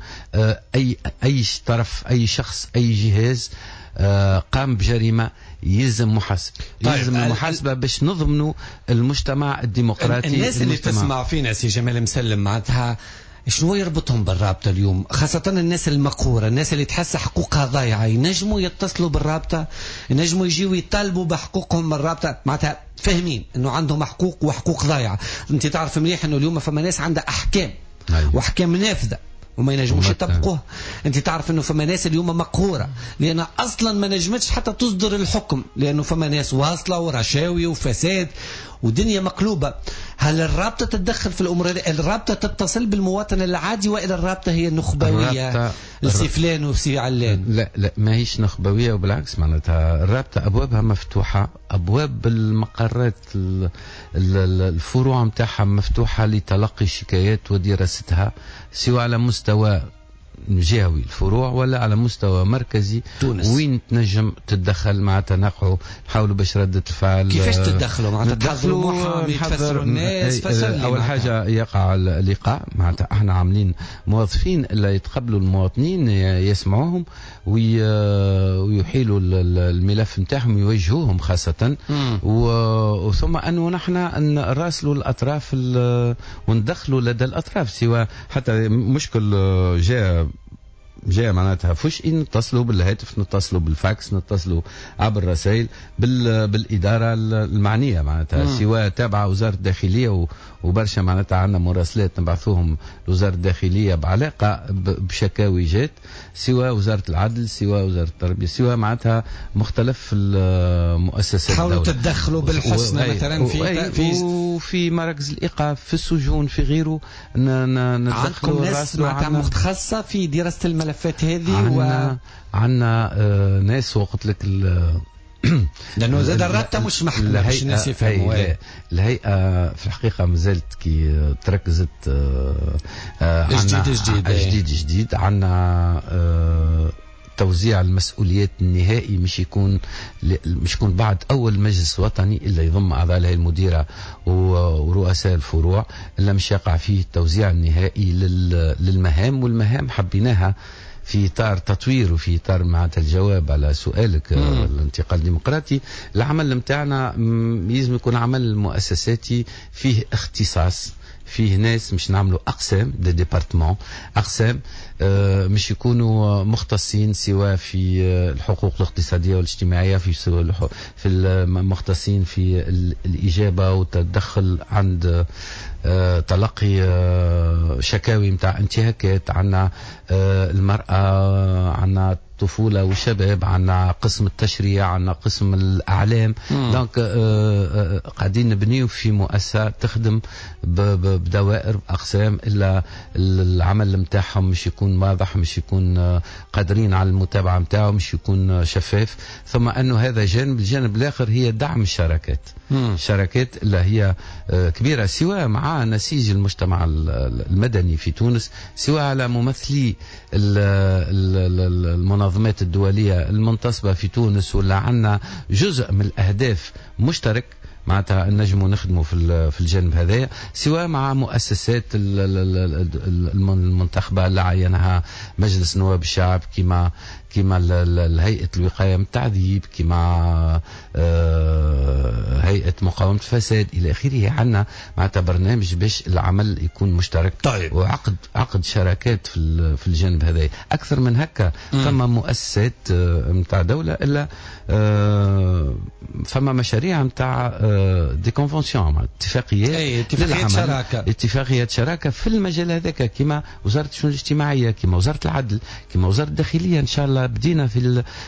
اي طرف، اي شخص، اي جهاز قام بجريمة يلزم محاسبه. طيب، يلزم المحاسبة باش نضمنوا المجتمع الديمقراطي. الناس اللي تسمع فينا سي جمال مسلم، معناتها شنو يربطهم بالرابطة اليوم؟ خاصة الناس المقهورة، الناس اللي تحس حقوقها ضايعة، ينجموا يتصلوا بالرابطة، ينجموا يجيوا يطالبوا بحقوقهم من الرابطة، معناتها فاهمين انه عندهم حقوق وحقوق ضايعة. انت تعرف مليح انه اليوم فما ناس عندها احكام. أيوة. واحكام نافذة وما ينجموش يطبقوها. انت تعرف انه فما ناس اليوم مقهوره لان اصلا ما نجمتش حتى تصدر الحكم، لانه فما ناس واصله ورشاوي وفساد ودنيا مقلوبة. هل الرابطة تتدخل في الامور هذه؟ الرابطة تتصل بالمواطن العادي والا الرابطة هي النخبويه لسي فلان وسي علان؟ لا لا، ماهيش نخبويه، وبالعكس معناتها الرابطة ابوابها مفتوحة، ابواب المقرات الفروع نتاعها مفتوحة لتلقي الشكايات ودراستها، سواء على مستوى جهوي الفروع ولا على مستوى مركزي تونس. وين تنجم تتدخل معناتها نقعوا نحاولوا باش ردة الفعل. كيفاش تتدخلوا معناتها؟ تحضروا محامي، تفسروا الناس؟ اول حاجة يقع اللقاء، معناتها احنا عاملين موظفين اللي يتقبلوا المواطنين، يسمعوهم ويحيلوا الملف نتاعهم ويوجهوهم خاصة. وثم انه نحن نراسلوا الاطراف وندخلوا لدى الاطراف، سواء حتى مشكل جاء معناتها فجأة نتصلوا بالهاتف، نتصلوا بالفاكس، نتصلوا عبر الرسائل بالإدارة المعنية معناتها، سواء تابعة وزارة الداخلية وبرشا معناتها عندنا مراسلات نبعثوهم لوزارة الداخلية بعلاقة بشكاوي جات، سواء وزارة العدل، سواء وزارة التربية، سواء معناتها مختلف المؤسسات. حاولوا تتدخلوا بالحسنى مثلا في وفي مراكز الإيقاف، في السجون، في غيره. عندكم ناس معناتها متخصصة في دراسة الملفات هذه؟ عندنا ناس، وقلت لك لانه زاد الرابطة مش محكمة باش الناس يفهموا. الهيئة في الحقيقة مازالت كي تركزت جديد جديد عندنا توزيع المسؤوليات النهائي مش يكون بعد اول مجلس وطني اللي يضم اعضاء الهيئة المديرة ورؤساء الفروع، اللي مش يقع فيه التوزيع النهائي للمهام. والمهام حبيناها في اطار تطوير وفي اطار معناتها الجواب على سؤالك الانتقال الديمقراطي. العمل نتاعنا لازم يكون عمل مؤسساتي فيه اختصاص، فيه ناس مش نعملوا اقسام، des départements، اقسام مش يكونوا مختصين سواء في الحقوق الاقتصادية والاجتماعية، في المختصين في الاجابة والتدخل عند تلقي شكاوي نتاع انتهاكات، عندنا المراة، عندنا الطفولة والشباب، عندنا قسم التشريع، عندنا قسم الاعلام. donc قاعدين نبنيو في مؤسسة تخدم بدوائر باقسام الا العمل نتاعهم مش يكون واضح، مش يكون قادرين على المتابعة نتاعو، مش يكون شفاف. ثم انه هذا جانب، الجانب الاخر هي دعم الشراكات. الشراكات اللي هي كبيرة سواء مع نسيج المجتمع المدني في تونس، سواء على ممثلي المنظمات الدولية المنتصبه في تونس، ولا عندنا جزء من الاهداف مشترك معناتها نجموا نخدموا في الجانب هذايا، سواء مع مؤسسات المنتخبه اللي عينها مجلس نواب الشعب، كما هيئة الوقاية من التعذيب، كما هيئة مقاومة الفساد الى اخره. عندنا معناتها برنامج باش العمل يكون مشترك. طيب. وعقد عقد شراكات في الجانب هذا. اكثر من هكا فما مؤسسات نتاع دولة الا فما مشاريع نتاع des conventions، اتفاقيات، اتفاقيات شراكة، اتفاقيات شراكة في المجال هذاك، كما وزارة الشؤون الاجتماعية، كما وزارة العدل، كما وزارة الداخلية. ان شاء الله بدينا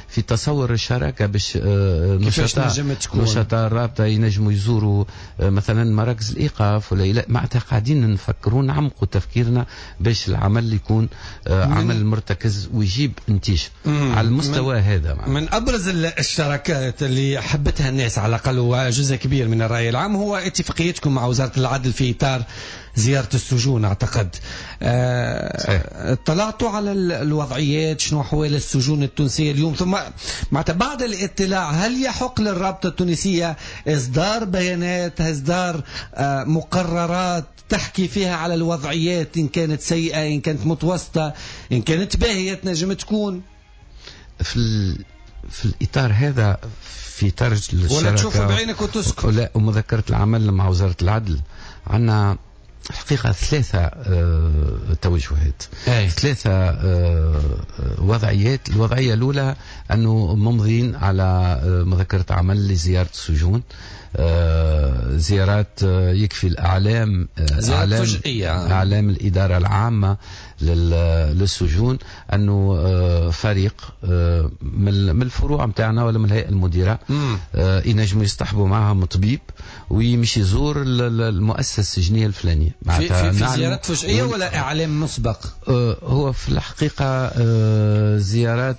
في تصور الشراكة باش نشطاء الرابطة ينجموا يزوروا مثلا مراكز الايقاف ولا معناتها قاعدين نفكروا نعمقوا تفكيرنا باش العمل يكون عمل مرتكز ويجيب نتيجة على المستوى هذا. من ابرز الشراكات اللي حبتها الناس على الاقل وجزء كبير من الرأي العام هو اتفاقيتكم مع وزارة العدل في إطار زيارة السجون. أعتقد اطلعتوا على الوضعيات، شنو أحوال السجون التونسية اليوم، ثم بعد الاطلاع هل يحق للرابطة التونسية إصدار بيانات، إصدار مقررات تحكي فيها على الوضعيات، إن كانت سيئة، إن كانت متوسطة، إن كانت باهية تنجم تكون؟ في الإطار هذا، في إطار الشراكة ولا تشوفوا بعينك وتسكت، ولا ومذكرة العمل مع وزارة العدل، عندنا حقيقة ثلاثة توجهات، ثلاثة وضعيات. الوضعية الأولى أنه ممضين على مذكرة عمل لزيارة السجون، زيارات يكفي الأعلام، زيارات فجئية، أعلام الإدارة العامة للسجون، أنه فريق من الفروع متاعنا ولا من الهيئة المديرة ينجموا يصطحبوا معهم طبيب ويمشي يزور المؤسسة السجنية الفلانية. في زيارات فجئية ولا إعلام مسبق؟ هو في الحقيقة زيارات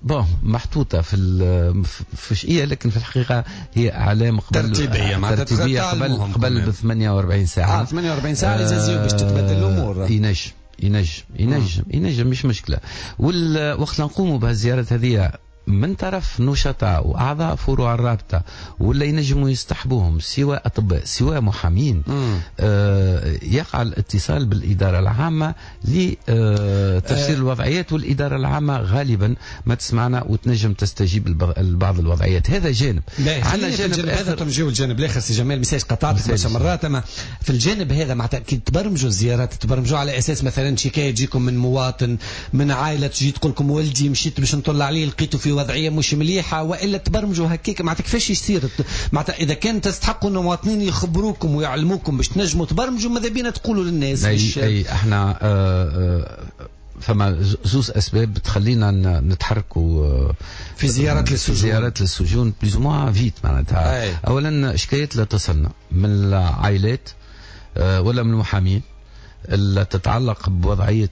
bon محطوطة في الفجئية، لكن في الحقيقة هي أعلام قبل ترتيبية، ترتيبية قبل ب 48 ساعة. 48 ساعة يزازيو باش تتبدل الأمور. ينجم مش مشكلة. والوقت نقوموا بهالزيارات هذه من طرف نشطاء واعضاء فروع الرابطة ولا ينجموا يصطحبوهم سواء اطباء سواء محامين، يقع الاتصال بالادارة العامة لتفسير الوضعيات، والادارة العامة غالبا ما تسمعنا وتنجم تستجيب لبعض الوضعيات. هذا جانب. عندنا جانب هذا تنجيو الجانب الاخر سي جمال، مساج قطعتك برشا مرات، اما في الجانب هذا مع تاكيد تبرمجوا الزيارات، تبرمجوا على اساس مثلا شكاية تجيكم من مواطن، من عائلة تجي تقول لكم ولدي مشيت باش نطلع عليه لقيته في وضعية مش مليحة، والا تبرمجوا هكاك؟ معناتها كيفاش يصير؟ معناتها اذا كان تستحقوا ان المواطنين يخبروكم ويعلموكم باش تنجموا تبرمجوا، ماذا بينا تقولوا للناس؟ اي احنا فما زوز اسباب تخلينا نتحركوا في زيارات للسجون، زيارات للسجون plus ou moins vite معناتها. اولا شكايات لا تصلنا من العائلات ولا من المحامين اللي تتعلق بوضعية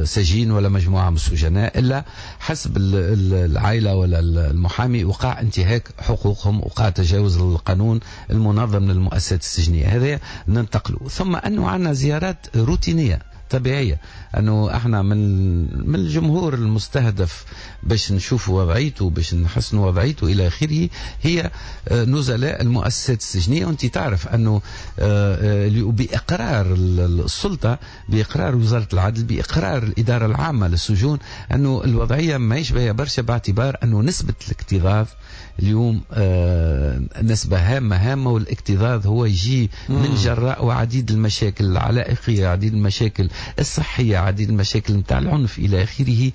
سجين ولا مجموعة من السجناء، إلا حسب العائلة ولا المحامي وقع انتهاك حقوقهم، وقع تجاوز القانون المنظم للمؤسسات السجنية، هذا ننتقله. ثم أنه عندنا زيارات روتينية طبيعية، أنه احنا من الجمهور المستهدف باش نشوفوا وضعيته، باش نحسنوا وضعيته إلى آخره، هي نزلاء المؤسسات السجنية. وأنت تعرف أنه بإقرار السلطة، بإقرار وزارة العدل، بإقرار الإدارة العامة للسجون، أنه الوضعية ما يشبه برشا، باعتبار أنه نسبة الاكتظاظ اليوم نسبة هامة، والاكتظاظ هو يجي من جراء وعديد المشاكل العلائقية، عديد المشاكل الصحية، عديد المشاكل نتاع العنف إلى آخره.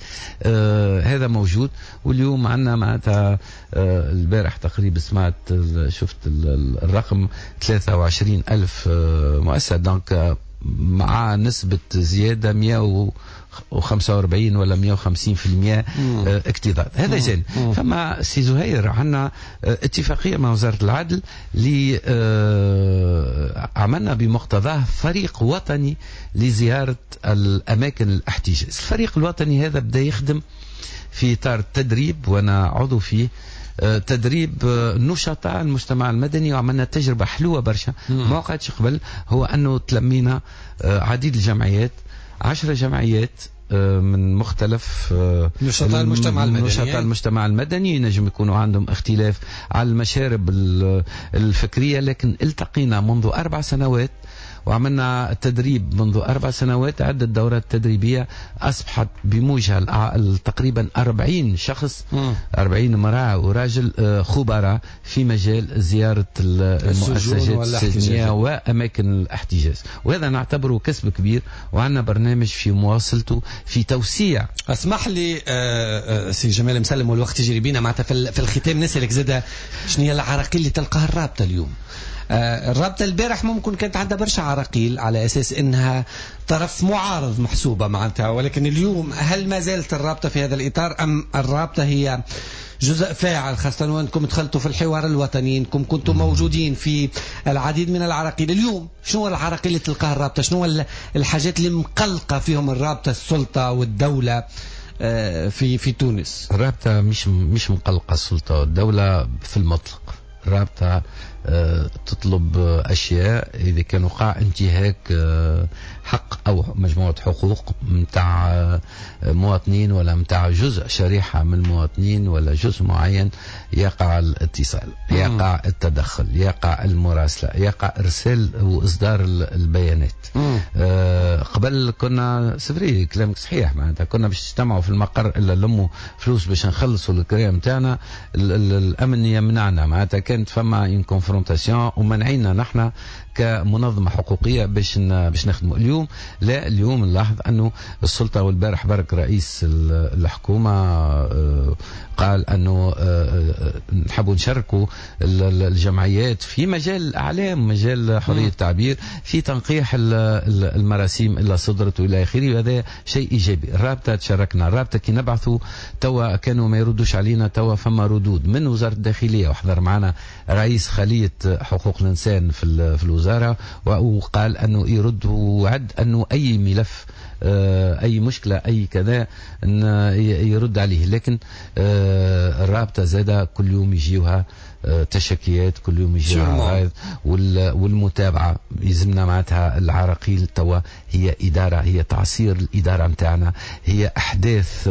هذا موجود. واليوم عندنا معناتها البارح تقريبا سمعت شفت الرقم 23,000 مؤسسة، donc مع نسبة زيادة 145 ولا 150% اكتظاظ. هذا جانب. فما سي زهير عندنا اتفاقية مع وزارة العدل اللي عملنا بمقتضاه فريق وطني لزيارة الأماكن الاحتجاز. الفريق الوطني هذا بدأ يخدم في إطار التدريب، وأنا عضو فيه، تدريب نشطاء المجتمع المدني، وعملنا تجربة حلوة برشا ما وقعتش قبل، هو أنه تلمينا عديد الجمعيات، 10 جمعيات من مختلف نشطاء المجتمع المدني. نشطاء المجتمع المدني ينجم يكونوا عندهم اختلاف على المشارب الفكرية، لكن التقينا منذ 4 سنوات وعملنا تدريب منذ 4 سنوات، عدة دورات تدريبية أصبحت بموجها تقريبا 40 شخص، 40 امرأة وراجل خبراء في مجال زيارة المؤسسات السجنية وأماكن الاحتجاز، وهذا نعتبره كسب كبير، وعندنا برنامج في مواصلته في توسيع. اسمح لي سي جمال مسلم والوقت يجري بينا، معناتها في الختام نسألك زادة شنو هي العراقيل اللي تلقاها الرابطة اليوم؟ الرابطة البارح ممكن كانت عندها برشا عراقيل على أساس أنها طرف معارض محسوبة معناتها، ولكن اليوم هل ما زالت الرابطة في هذا الإطار أم الرابطة هي جزء فاعل، خاصة وأنكم دخلتوا في الحوار الوطني، أنكم كنتم موجودين في العديد من العراقيل؟ اليوم شنو العراقيل اللي تلقاها الرابطة؟ شنو الحاجات اللي مقلقة فيهم الرابطة، السلطة والدولة في تونس؟ الرابطة مش مقلقة السلطة والدولة في المطلق. الرابطة تطلب أشياء إذا كان وقع انتهاك حق أو مجموعة حقوق متاع مواطنين ولا متاع جزء شريحة من المواطنين ولا جزء معين، يقع الاتصال، يقع التدخل، يقع المراسلة، يقع إرسال وإصدار البيانات. قبل كنا سفري، كلامك صحيح، معناتها كنا باش نجتمعوا في المقر إلا لموا فلوس باش نخلصوا الكريم متاعنا، الأمن يمنعنا، معناتها كانت فما une confrontation ومنعينا نحن كمنظمة حقوقية باش نخدموا. اليوم لا، اليوم نلاحظ أنه السلطة، والبارح برك رئيس الحكومة قال أنه نحبوا نشاركوا الجمعيات في مجال الأعلام، مجال حرية التعبير، في تنقيح المراسيم اللي صدرت وإلى آخره، وهذا شيء إيجابي. الرابطة تشاركنا، الرابطة كي نبعثوا توا كانوا ما يردوش علينا، توا فما ردود من وزارة الداخلية، وحضر معنا رئيس خلية حقوق الإنسان في الوزارة وقال أنه يرد وعد أنه أي ملف، أي مشكلة، أي كذا يرد عليه. لكن الرابطة زادة كل يوم يجيوها تشكيات، كل يوم يجيوها عرايض، والمتابعة يلزمنا معناتها. العراقيل توا هي إدارة، هي تعصير الإدارة متاعنا، هي أحداث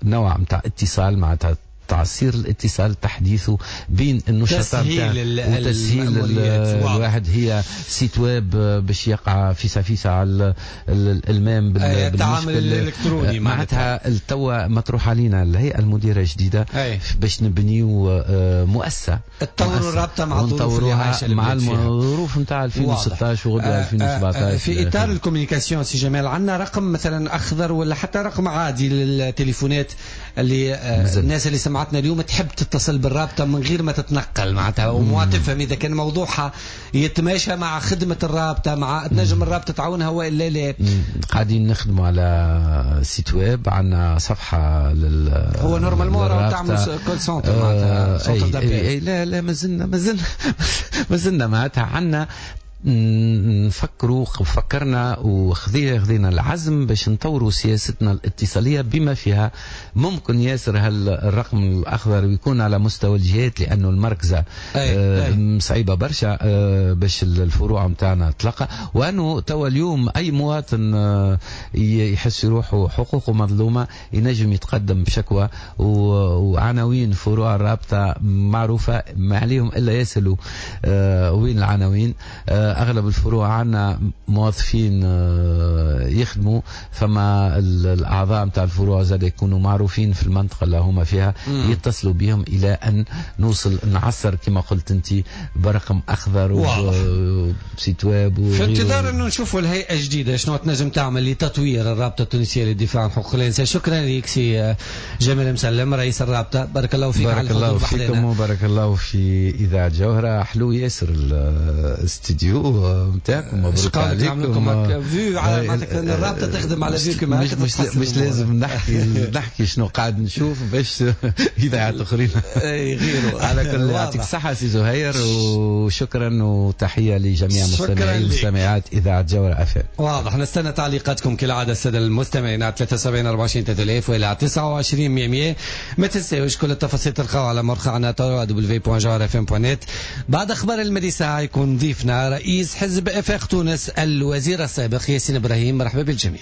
نوع متاع اتصال، معناتها تعصير الاتصال، تحديثه بين النشطاء وتسهيل الواحد. هي site web باش يقع فيسا فيسا على الالمام بالتعامل الالكتروني، معناتها توا مطروح علينا الهيئة المديرة الجديدة باش نبنيو مؤسسة، تطوروا الرابطة مع الظروف اللي عايشه مع الظروف نتاع 2016 وغدوه 2017. في اطار ال communication سي جمال، عندنا رقم مثلا اخضر ولا حتى رقم عادي للتليفونات اللي الناس اللي سمعتنا اليوم تحب تتصل بالرابطة من غير ما تتنقل معناتها وما تفهم إذا كان موضوعها يتماشى مع خدمة الرابطة، مع تنجم الرابطة تعاونها وإلا لا؟ قاعدين نخدموا على site web، عندنا صفحة لل هو normalement راه تعمل call center معناتها centre d'appel. لا لا، مازلنا معناتها عندنا نفكروا، فكرنا وخذينا العزم باش نطوروا سياستنا الاتصالية بما فيها ممكن ياسر هالرقم الأخضر ويكون على مستوى الجهات، لأنه المركزة صعيبة برشا باش الفروع متاعنا تلقى، وأنه توا اليوم أي مواطن يحس روحه حقوقه مظلومة ينجم يتقدم بشكوى، وعناوين فروع الرابطة معروفة، ما عليهم إلا يسألوا وين العناوين. أغلب الفروع عندنا موظفين يخدموا، فما الأعضاء متاع الفروع زاد يكونوا معروفين في المنطقة اللي هما فيها، يتصلوا بهم إلى أن نوصل نعصر كما قلت أنت برقم أخضر و site web. في انتظار أنه نشوفوا الهيئة الجديدة شنو تنجم تعمل لتطوير الرابطة التونسية للدفاع عن حقوق الإنسان. شكرا لك سي جمال مسلم رئيس الرابطة، بارك الله فيك. بارك الله فيكم وبارك الله في إذاعة جوهرة. حلو ياسر الاستديو. البلاتو نتاعكم، مبروك عليكم. vu على معناتها الرابطة تخدم على vu كما مش لازم نحكي شنو قاعد نشوف باش اذاعات اخرين اي غيره. على كل يعطيك الصحة سي زهير، وشكرا وتحية لجميع مستمعي ومستمعات اذاعة جوهرة اف ام. واضح، نستنى تعليقاتكم كالعادة السادة المستمعين على 73 24 3000 والى 29 100. ما تنساوش كل التفاصيل تلقاو على موقعنا www.jawharafm.net. بعد اخبار المدي ساعة يكون ضيفنا رئيس حزب افاق تونس الوزير السابق ياسين ابراهيم. مرحبا بالجميع.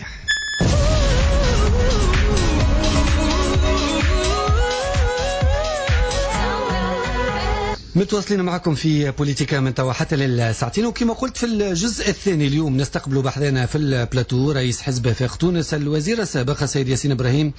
متواصلين معكم في بوليتيكا من توا حتى للساعتين، وكما قلت في الجزء الثاني اليوم نستقبل بحذانا في البلاتو رئيس حزب افاق تونس الوزير السابق السيد ياسين ابراهيم.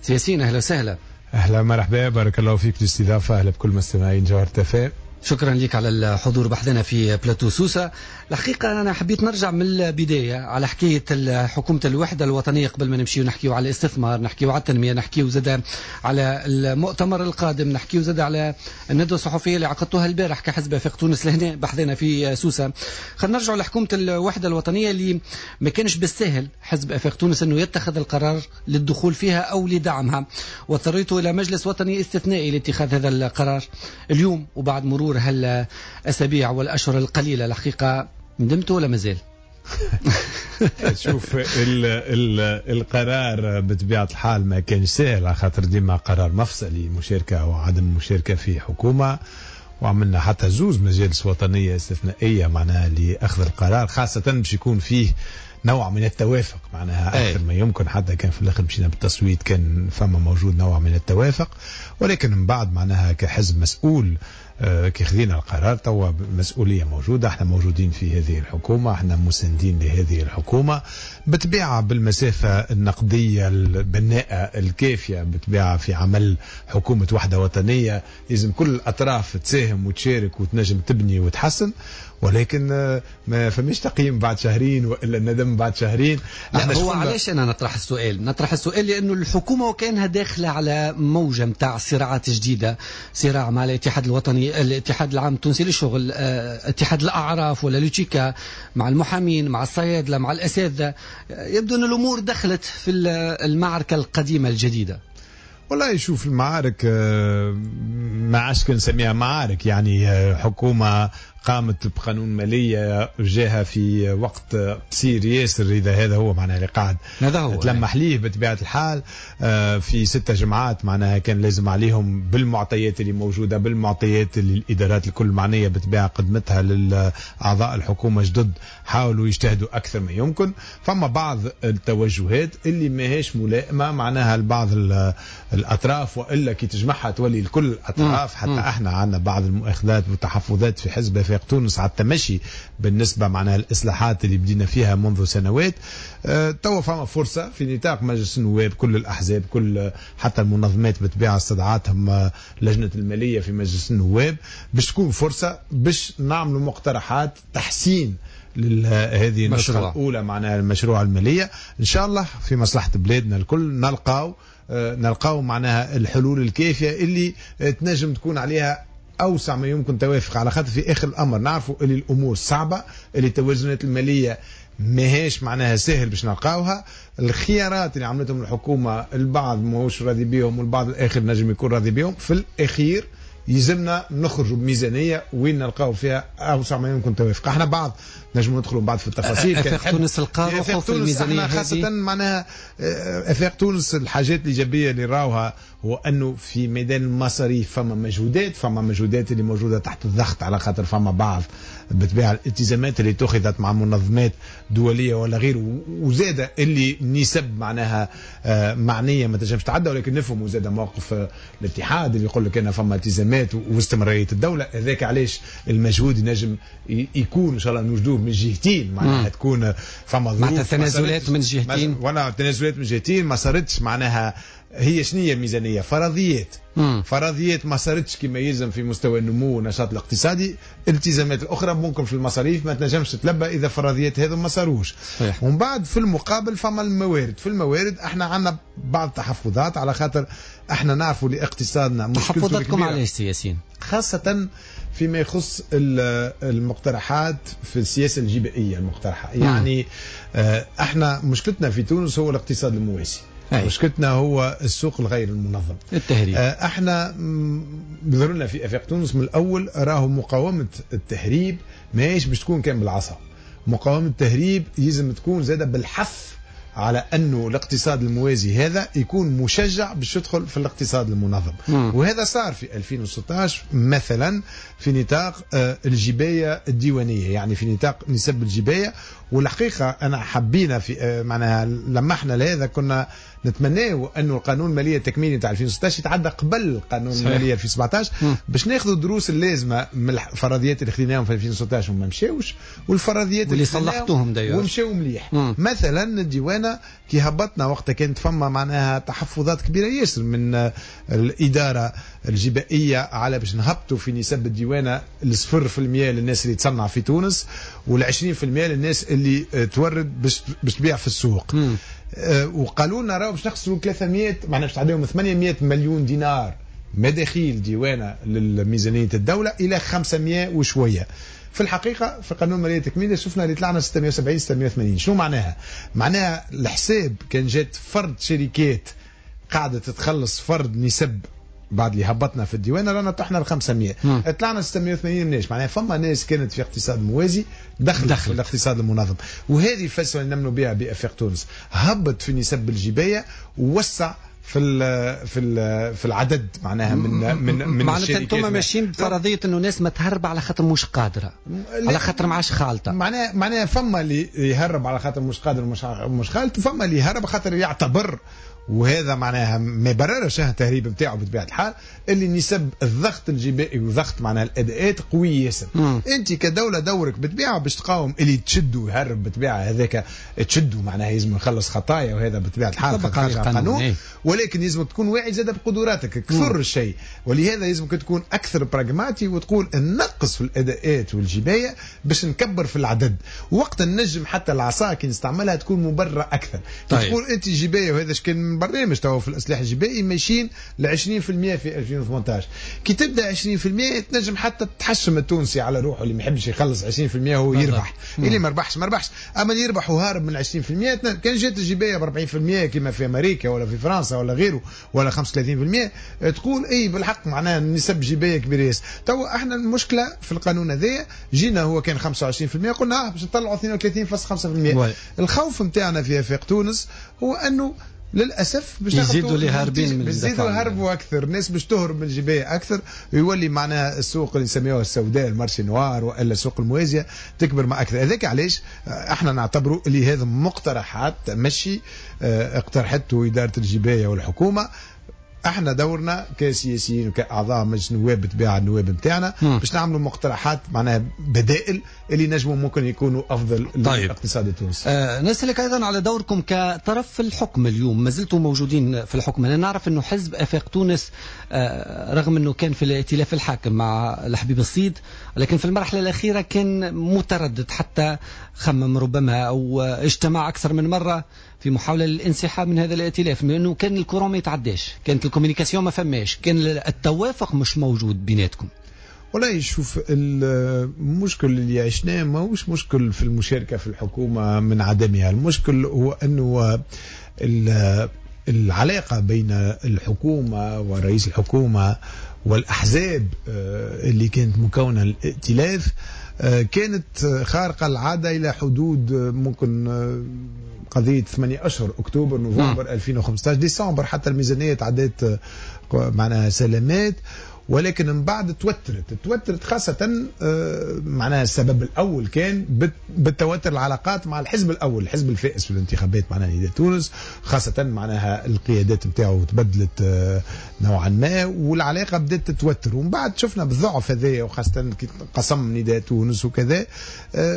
ياسين اهلا وسهلا. اهلا مرحبا، بارك الله فيك الاستضافة، اهلا بكل مستمعين جوهرة اف ام. شكرا لك على الحضور بحذنا في بلاتو سوسة. الحقيقة أنا حبيت نرجع من البداية على حكاية حكومة الوحدة الوطنية قبل ما نمشيو نحكيو على الاستثمار، نحكيو على التنمية، نحكيو زاد على المؤتمر القادم، نحكيو زاد على الندوة الصحفية اللي عقدتوها البارح كحزب آفاق تونس لهنا بحذنا في سوسة. خلينا نرجعوا لحكومة الوحدة الوطنية اللي ما كانش بالسهل حزب آفاق تونس أنه يتخذ القرار للدخول فيها أو لدعمها، واضطريتوا إلى مجلس وطني استثنائي لاتخاذ هذا القرار. اليوم وبعد مرور هالأسابيع والأشهر القليلة الحقيقة ندمتوا ولا مازال؟ شوف القرار بطبيعة الحال ما كانش سهل، على خاطر ديما قرار مفصلي، مشاركة وعدم مشاركة في حكومة، وعملنا حتى زوز مجالس وطنية استثنائية معناها لأخذ القرار، خاصة باش يكون فيه نوع من التوافق معناها أكثر ما يمكن. حتى كان في الآخر مشينا بالتصويت كان فما موجود نوع من التوافق، ولكن من بعد معناها كحزب مسؤول كي خذينا القرار توا مسؤولية موجودة، احنا موجودين في هذه الحكومة، احنا مساندين لهذه الحكومة بطبيعة بالمسافة النقدية البناءة الكافية، بطبيعة في عمل حكومة وحدة وطنية لازم كل الأطراف تساهم وتشارك وتنجم تبني وتحسن، ولكن ما فماش تقييم بعد شهرين والا الندم بعد شهرين. لا هو علاش انا نطرح السؤال؟ نطرح السؤال لانه الحكومة وكانها داخله على موجه نتاع صراعات جديدة، صراع مع الاتحاد الوطني، الاتحاد العام التونسي للشغل، اتحاد الاعراف ولا l'UTICA، مع المحامين، مع الصيادله، مع الاساتذة. يبدو ان الامور دخلت في المعركة القديمة الجديدة. والله شوف المعارك ما عادش كنسميها معارك، يعني حكومة قامت بقانون مالية جاها في وقت قصير ياسر، إذا هذا هو معناها اللي قاعد تلمح ليه بطبيعة الحال. في 6 جمعات معناها كان لازم عليهم بالمعطيات اللي موجودة، بالمعطيات اللي الإدارات الكل معنية بطبيعة قدمتها للأعضاء الحكومة جدد، حاولوا يجتهدوا أكثر ما يمكن. فما بعض التوجهات اللي ماهيش ملائمة معناها لبعض الأطراف، وإلا كي تجمعها تولي لكل الأطراف. حتى احنا عندنا بعض المؤاخذات والتحفظات في حزب آفاق تونس على التمشي بالنسبة معناها الإصلاحات اللي بدينا فيها منذ سنوات. توا فما فرصة في نطاق مجلس النواب، كل الأحزاب، كل حتى المنظمات بطبيعة استدعتهم لجنة المالية في مجلس النواب، باش تكون فرصة باش نعملوا مقترحات تحسين لهذه النسخة الأولى معناها المشروع المالية. إن شاء الله في مصلحة بلادنا الكل نلقاو معناها الحلول الكافية اللي تنجم تكون عليها أوسع ما يمكن توافق، على خاطر في آخر الأمر نعرفوا اللي الأمور صعبة، اللي التوازنات المالية ماهيش معناها سهل باش نلقاوها. الخيارات اللي عملتهم الحكومة البعض ماهوش راضي بيهم والبعض الآخر نجم يكون راضي بيهم. في الأخير يلزمنا نخرجوا بميزانية وين نلقاو فيها أوسع ما يمكن توافق. احنا بعض نجم ندخلوا بعد في التفاصيل. آفاق تونس القارة في الميزانية خاصة معناها آفاق تونس الحاجات الإيجابية اللي راوها هو أنه في ميدان المصاريف فما مجهودات، فما مجهودات اللي موجودة تحت الضغط، على خاطر فما بعض بطبيعة الالتزامات اللي اتخذت مع منظمات دولية ولا غيره، وزاد اللي نسب معناها معنية ما تنجمش تعدى، ولكن نفهم وزاد موقف الاتحاد اللي يقول لك أن فما التزامات واستمرارية الدولة. هذاك علاش المجهود ينجم يكون إن شاء الله نوجدوه من جهتين، معناها تكون فما ظروف معناتها تنازلات من جهتين، ولا تنازلات من جهتين ما صارتش معناها هي شنو هي الميزانية؟ فرضيات. فرضيات ما صارتش كما يلزم في مستوى النمو والنشاط الاقتصادي، الالتزامات الاخرى ممكن في المصاريف ما تنجمش تتلبى اذا فرضيات هذو ما صاروش. ومن بعد في المقابل فما الموارد، في الموارد احنا عندنا بعض التحفظات على خاطر احنا نعرفوا لاقتصادنا مشكلته. تحفظاتكم علاش سي ياسين؟ خاصة فيما يخص المقترحات في السياسة الجبائية المقترحة. يعني احنا مشكلتنا في تونس هو الاقتصاد الموازي. مشكلتنا هو السوق الغير المنظم، التهريب. احنا بظهرنا في افاق تونس من الاول راهو مقاومة التهريب ماهيش باش تكون كان بالعصا. مقاومة التهريب يلزم تكون زاده بالحث على انه الاقتصاد الموازي هذا يكون مشجع باش يدخل في الاقتصاد المنظم. وهذا صار في 2016 مثلا في نطاق الجبايه الديوانيه، يعني في نطاق نسب الجبايه. والحقيقة انا حبينا في معناها لمحنا لهذا، كنا نتمناه انه القانون المالية التكميلي تاع 2016 يتعدى قبل قانون المالية 2017 باش ناخذوا الدروس اللازمة من الفرضيات اللي خديناهم في 2016 وما مشاوش، والفرضيات اللي صلحتوهم d'ailleurs ومشاو مليح. مثلا الديوانه كي هبطنا وقتها كانت فما معناها تحفظات كبيرة ياسر من الادارة الجبائيه على باش نهبطوا في نسب الديوانه 0% للناس اللي تصنع في تونس وال20% للناس اللي تورد باش تبيع في السوق. وقالوا لنا راهو باش نخسروا 300 معناها باش تعديهم 800 مليون دينار مداخيل ديوانه للميزانيه الدولة الى 500 وشوية. في الحقيقة في قانون المالية التكميلي شفنا اللي طلعنا 670 680. شنو معناها؟ معناها الحساب كان جات فرد شركات قاعدة تتخلص فرد نسب بعد اللي هبطنا في الديوانه رانا طحنا ل 500، طلعنا 680 مناش. معناها فما ناس كانت في اقتصاد موازي دخلت في الاقتصاد المنظم، وهذه الفلسفة اللي نمنوا بها بافاق تونس. هبط في نسب الجبايه ووسع في ال في ال في العدد معناها من من من معناتها انتم ماشيين بفرضيه انه الناس ما تهرب على خاطر مش قادرة، على خاطر معاش خالطه. معناها فما اللي يهرب على خاطر مش قادر مش خالط، وفما اللي يهرب خاطر يعتبر، وهذا معناها ما يبررش التهريب نتاعو بطبيعة الحال، اللي نسب الضغط الجبائي وضغط معناها الاداءات قوي ياسر. انت كدولة دورك بالطبيعة باش تقاوم اللي تشدوا يهرب بالطبيعة، هذاك تشدوا معناها لازم يخلص خطايا، وهذا بطبيعة الحال خارج القانون، ولكن لازم تكون واعي زاد بقدراتك كثر الشيء، ولهذا لازمك تكون اكثر براغماتي وتقول نقص في الاداءات والجبايه باش نكبر في العدد، وقت النجم حتى العصا كي نستعملها تكون مبررة اكثر. طيب. تقول انت جبايه، وهذا كان برنامج توا في الاصلاح الجبائي ماشيين ل 20% في 2018، كي تبدا 20% تنجم حتى تحشم التونسي على روحه اللي ما يحبش يخلص 20% هو يربح، اللي ما ربحش ما ربحش، اما اللي يربح وهارب من 20% كان جات الجبايه ب 40% كما في امريكا ولا في فرنسا ولا غيره ولا 35%، تقول اي بالحق معناها نسب جبايه كبيرة ياسر. توا احنا المشكلة في القانون هذايا جينا هو كان 25% قلنا باش نطلعوا 32.5%. الخوف نتاعنا في افاق تونس هو انه للاسف باش يزيدوا اللي هاربين من يزيدوا يهربوا اكثر، الناس باش تهرب من الجبايه اكثر، ويولي معناها السوق اللي نسميوها السوداء ال marché noir والا السوق الموازيه تكبر مع اكثر. هذاك علاش احنا نعتبروا اللي هذا مقترحات تمشي اقترحته ادارة الجبايه والحكومة. احنا دورنا كسياسيين وكاعضاء مجلس النواب بالطبيعة النواب نتاعنا باش نعملوا مقترحات معناها بدائل اللي نجموا ممكن يكونوا افضل. طيب. للاقتصاد التونسي. نسألك ايضا على دوركم كطرف في الحكم اليوم، ما زلتم موجودين في الحكم. انا نعرف انه حزب افاق تونس رغم انه كان في الائتلاف الحاكم مع الحبيب الصيد، لكن في المرحلة الاخيرة كان متردد، حتى خمم ربما او اجتمع اكثر من مرة في محاولة للانسحاب من هذا الائتلاف، لأنه كان ال courant ما يتعداش، كانت ال communication ما فماش، كان التوافق مش موجود بيناتكم. والله شوف، المشكل اللي عشناه ماهوش مشكل في المشاركة في الحكومة من عدمها، المشكل هو أنه العلاقة بين الحكومة ورئيس الحكومة والأحزاب اللي كانت مكونة الائتلاف كانت خارقة العادة إلى حدود ممكن قضية 8 أشهر، أكتوبر نوفمبر 2015 ديسمبر، حتى الميزانية تعدت معناها سلامات. ولكن من بعد توترت خاصة معناها السبب الأول كان بالتوتر العلاقات مع الحزب الأول، الحزب الفائز في الانتخابات معناها نداء تونس، خاصة معناها القيادات نتاعو تبدلت نوعا ما والعلاقة بدأت تتوتر. ومن بعد شفنا بالضعف هذايا، وخاصة كي قسم نداء تونس وكذا،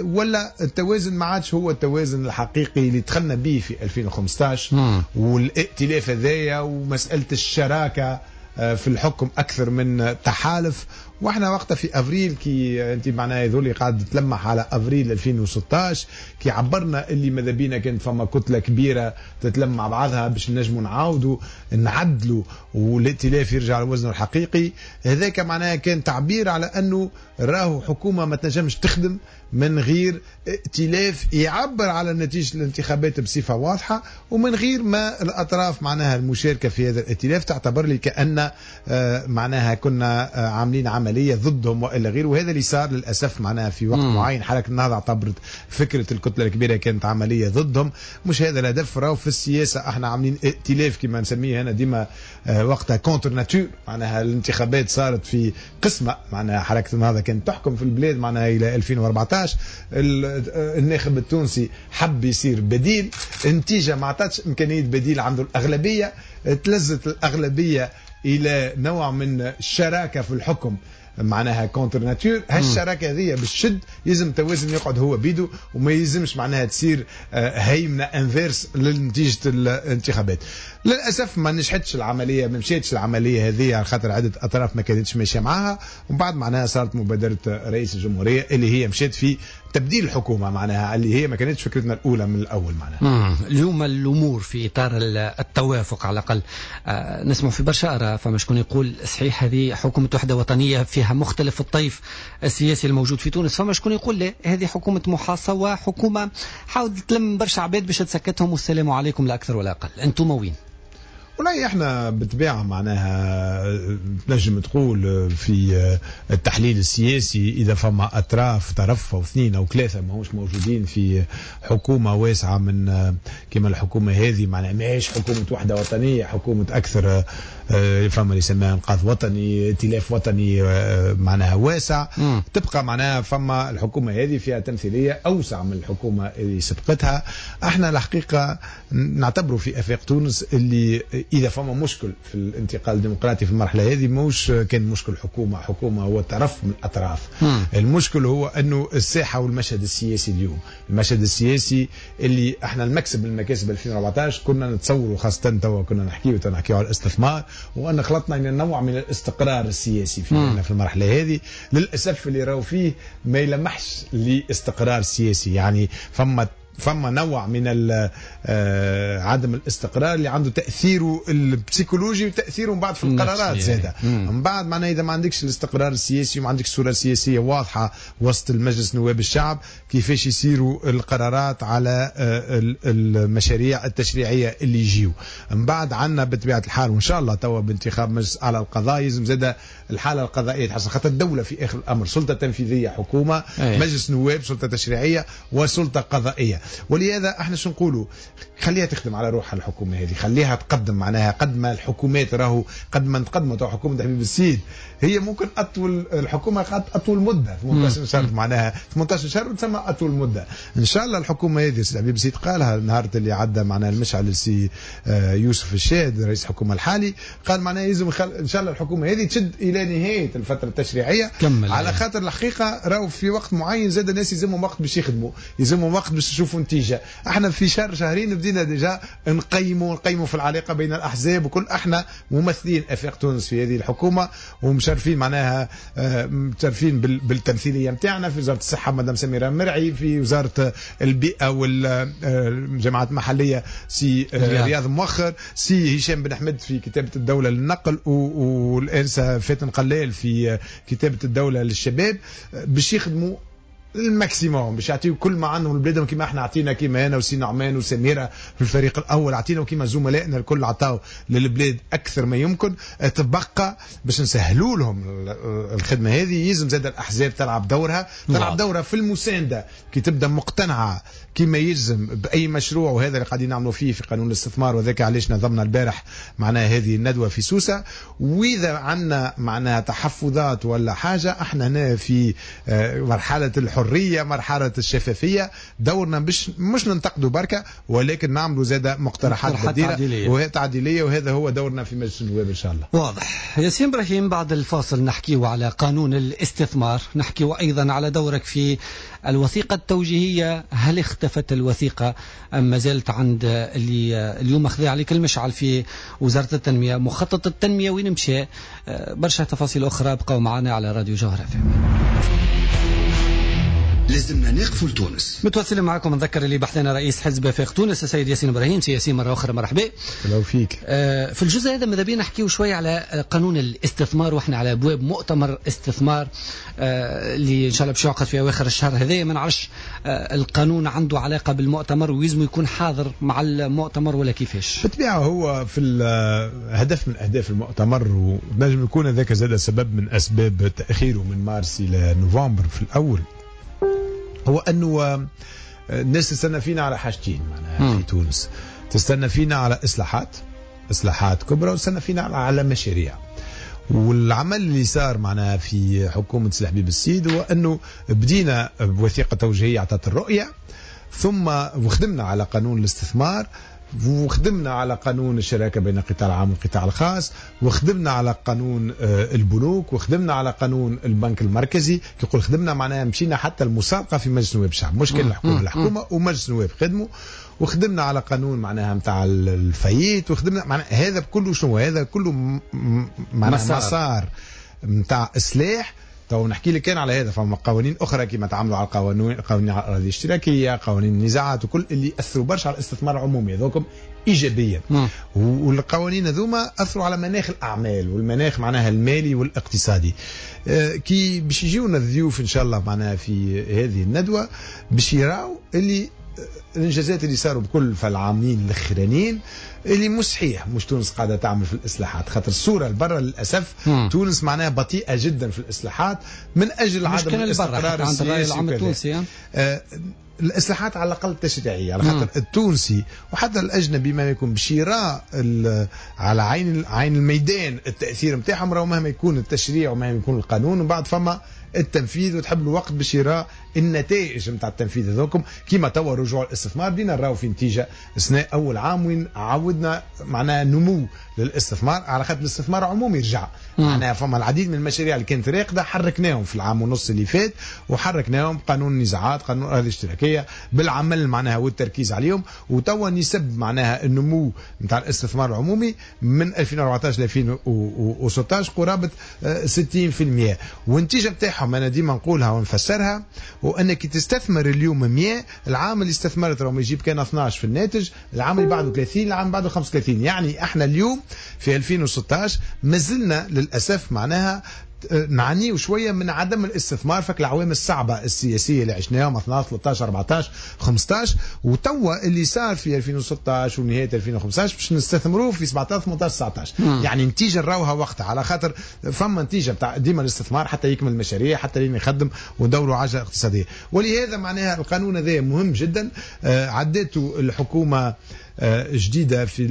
ولا التوازن ما عادش هو التوازن الحقيقي اللي دخلنا به في 2015 والائتلاف هذايا ومسألة الشراكة في الحكم أكثر من تحالف. واحنا وقتها في افريل كي انت معناها هذول قاعد تلمح على افريل 2016 كي عبرنا اللي ماذا بينا كانت فما كتلة كبيرة تتلم مع بعضها باش نجموا نعاودوا نعدلوا والائتلاف يرجع لوزنه الحقيقي. هذاك معناها كان تعبير على انه راهو حكومة ما تنجمش تخدم من غير ائتلاف يعبر على نتيجة الانتخابات بصفة واضحة، ومن غير ما الاطراف معناها المشاركة في هذا الائتلاف تعتبر لي كان معناها كنا عاملين عملية ضدهم والا غيره. وهذا اللي صار للاسف معناها في وقت معين حركة النهضة اعتبرت فكرة الكتلة الكبيرة كانت عملية ضدهم. مش هذا الهدف. راهو في السياسة احنا عاملين ائتلاف كما نسميه انا ديما وقتها contre nature، معناها الانتخابات صارت في قسمه، معناها حركة النهضة كانت تحكم في البلاد معناها الى 2014. الناخب التونسي حب يصير بديل، النتيجة ما عطاتش امكانية بديل عنده الاغلبية، تلزت الاغلبية الى نوع من الشراكة في الحكم معناها contre nature. هالشراكه هذه بالشد يلزم التوازن يقعد هو بيدو، وما يلزمش معناها تصير هيمنة inverse لنتيجة الانتخابات. للاسف ما نجحتش العملية، ما مشيتش العملية هذه على خاطر عده اطراف ما كانتش ماشية معاها. ومن بعد معناها صارت مبادرة رئيس الجمهورية اللي هي مشات في تبديل الحكومة، معناها اللي هي ما كانتش فكرتنا الاولى من الاول معناها. اليوم الامور في اطار التوافق على الاقل نسمع في برشا اراء، فما شكون يقول صحيح هذه حكومة وحده وطنية فيها مختلف الطيف السياسي الموجود في تونس، فما شكون يقول لا هذه حكومة محاصة وحكومة حاولت تلم برشا عباد باش تسكتهم والسلام عليكم لا اكثر ولا اقل. انتم وين؟ والله احنا بالطبيعة معناها تنجم تقول في التحليل السياسي اذا فما اطراف طرف او اثنين او ثلاثة ماهوش موجودين في حكومة واسعة من كما الحكومة هذه، معناها ماهيش حكومة وحده وطنية، حكومة اكثر فما اللي يسميها انقاذ وطني، ائتلاف وطني معناها واسع. تبقى معناها فما الحكومة هذه فيها تمثيلية اوسع من الحكومة اللي سبقتها. احنا الحقيقة نعتبره في افاق تونس اللي اذا فما مشكل في الانتقال الديمقراطي في المرحلة هذه ماهوش كان مشكل حكومة، حكومة هو طرف من الاطراف. المشكل هو انه الساحة والمشهد السياسي اليوم، المشهد السياسي اللي احنا المكسب من مكاسب 2014 كنا نتصوروا، خاصة توا كنا نحكيو على الاستثمار، وان خلطنا الى نوع من الاستقرار السياسي في المرحلة هذه. للاسف اللي راهو فيه ما يلمحش لاستقرار سياسي، يعني فما نوع من عدم الاستقرار اللي عنده تاثيره البسيكولوجي وتاثيره من بعد في القرارات زاده. من بعد معناها اذا ما عندكش الاستقرار السياسي وما عندكش صوره سياسية واضحة وسط المجلس نواب الشعب كيفاش يصيروا القرارات على المشاريع التشريعية اللي يجيو من بعد. عندنا بطبيعة الحال وان شاء الله توا بانتخاب مجلس اعلى القضاء يلزم زاده الحالة القضائية تحسن، خاطر الدولة في اخر الامر سلطة تنفيذية، حكومة، مجلس نواب، سلطة تشريعية وسلطة قضائية. ولهذا احنا شو نقولوا؟ خليها تخدم على روحها الحكومة هذه، خليها تقدم معناها قد ما الحكومات راهو قد ما نتقدموا. تو حكومة حبيب السيد هي ممكن اطول الحكومة قعدت اطول مده 18 شهر، معناها 18 شهر تسمى اطول مده. ان شاء الله الحكومة هذه سيد حبيب السيد قالها نهار اللي عدى معناها المشعل السي يوسف الشاهد رئيس الحكومة الحالي، قال معناها يلزم ان شاء الله الحكومة هذه تشد الى نهاية الفترة التشريعية، على خاطر الحقيقة راهو في وقت معين زاد الناس يلزمهم وقت باش يخدموا، يلزمهم وقت باش يشوفوا نتيجة. احنا في شهر شهرين بدينا déjà نقيموا في العلاقة بين الاحزاب وكل، احنا ممثلين افاق تونس في هذه الحكومة ومشرفين معناها مشرفين بالتمثيليه نتاعنا في وزارة الصحة مدام سميرة مرعي، في وزارة البيئة والجماعات المحلية سي رياض موخر، سي هشام بن احمد في كتابه الدولة للنقل، والانسه فاتن قلال في كتابه الدولة للشباب، باش يخدموا ال maximum باش يعطيو كل ما عندهم لبلادهم، كما احنا عطينا، كما انا وسي نعمان وسميره في الفريق الاول عطينا، وكما زملائنا الكل عطاو للبلاد اكثر ما يمكن. تبقى باش نسهلوا لهم الخدمة هذه، يلزم زاد الاحزاب تلعب دورها، تلعب دورها في المساندة كي تبدا مقتنعة كما يلزم باي مشروع، وهذا اللي قاعدين نعملوا فيه في قانون الاستثمار، وذاك علاش نظمنا البارح معناها هذه الندوة في سوسة. واذا عندنا معناها تحفظات ولا حاجة، احنا هنا في مرحلة الحرية، مرحلة الشفافية، دورنا باش مش ننتقدوا بركة، ولكن نعملوا زاد مقترحات بديله وتعديليه، وهذا هو دورنا في مجلس النواب ان شاء الله. واضح ياسين ابراهيم. بعد الفاصل نحكيو على قانون الاستثمار، نحكيو ايضا على دورك في الوثيقة التوجيهيه، هل اختفت الوثيقة ام ما زالت عند اللي اليوم اخذ عليك المشعل في وزارة التنمية، مخطط التنمية وين مشى، برشا تفاصيل اخرى. بقوا معنا على راديو جوهرة FM. لازمنا نقفوا لتونس. متواصلين معكم، نذكر اللي بحثنا رئيس حزب آفاق تونس السيد ياسين ابراهيم. سي ياسين مرة اخرى مرحبا. لو فيك. في الجزء هذا ماذا بينا نحكيو شوية على قانون الاستثمار، واحنا على ابواب مؤتمر استثمار اللي ان شاء الله باش يعقد في اواخر الشهر هذا. ما نعرفش القانون عنده علاقة بالمؤتمر ويلزم يكون حاضر مع المؤتمر ولا كيفاش؟ بالطبيعة هو في هدف من اهداف المؤتمر، ونجم يكون هذاك زاد سبب من اسباب تاخيره من مارس الى نوفمبر في الاول، هو انه الناس تستنى فينا على حاجتين معناها في تونس، تستنى فينا على اصلاحات كبرى، وتستنى فينا على مشاريع. والعمل اللي صار معناها في حكومة سي الحبيب السيد هو انه بدينا بوثيقه توجيهيه اعطت الرؤية، ثم وخدمنا على قانون الاستثمار، وخدمنا على قانون الشراكة بين القطاع العام والقطاع الخاص، وخدمنا على قانون البنوك، وخدمنا على قانون البنك المركزي. كي يقول خدمنا معناها مشينا حتى المسابقة في مجلس نواب الشعب، مش كان الحكومة ومجلس النواب خدموا، وخدمنا على قانون معناها نتاع ال faillite، وخدمنا معناها هذا كله شنو هذا كله معناها مسار نتاع إصلاح. تو نحكي لك كان على هذا، فما قوانين اخرى كما تعاملوا على القوانين، قوانين الاراضي الاشتراكية، قوانين النزاعات، وكل اللي اثروا برشا على الاستثمار العمومي هذوكم ايجابيا. والقوانين هذوما اثروا على مناخ الاعمال والمناخ معناها المالي والاقتصادي. كي باش يجيونا الضيوف ان شاء الله معناها في هذه الندوة باش يراو اللي الانجازات اللي صاروا بكل في العامين الاخرانيين، اللي مش صحيح مش تونس قاعدة تعمل في الاصلاحات، خاطر الصورة البرة للاسف تونس معناها بطيئه جدا في الاصلاحات من اجل عدم الاستقرار السياسي العام التونسي. الاصلاحات على الاقل التشريعية، على خاطر التونسي وحتى الاجنبي ما يكون باش يرى على عين الميدان التاثير نتاعهم، راهو مهما يكون التشريع ومهما يكون القانون، ومن بعد فما التنفيذ، وتحب له وقت باش يرى النتائج نتاع التنفيذ هذوكم. كيما توا رجوع الاستثمار بدينا نراو في نتيجة اثناء اول عام وين عودنا معناها نمو للاستثمار، على خاطر الاستثمار عمومي رجع. معناها فما العديد من المشاريع اللي كانت راقده حركناهم في العام ونص اللي فات، وحركناهم قانون النزاعات، قانون الاراضي الاشتراكية، بالعمل معناها والتركيز عليهم. وتوا نسب معناها النمو نتاع الاستثمار العمومي من 2014 ل 2016 قرابة 60%، والنتيجة نتاعهم انا ديما نقولها ونفسرها، وانك تستثمر اليوم 100، العام اللي استثمرت راهم يجيب كان 12 في الناتج، العام اللي بعده 30، العام بعده 35. يعني احنا اليوم في 2016 مازلنا للاسف معناها نعانيو شوية من عدم الاستثمار فك العوامل الصعبة السياسية اللي عشناهم 12 13 14 15، وتوا اللي صار في 2016 ونهاية 2015 باش نستثمروه في 17 18 19. يعني نتيجة نراوها وقتها، على خاطر فما نتيجة بتاع ديما الاستثمار حتى يكمل المشاريع، حتى لين يخدم وندوروا عجله اقتصادية. ولهذا معناها القانون هذا مهم جدا، عدته الحكومة جديدة في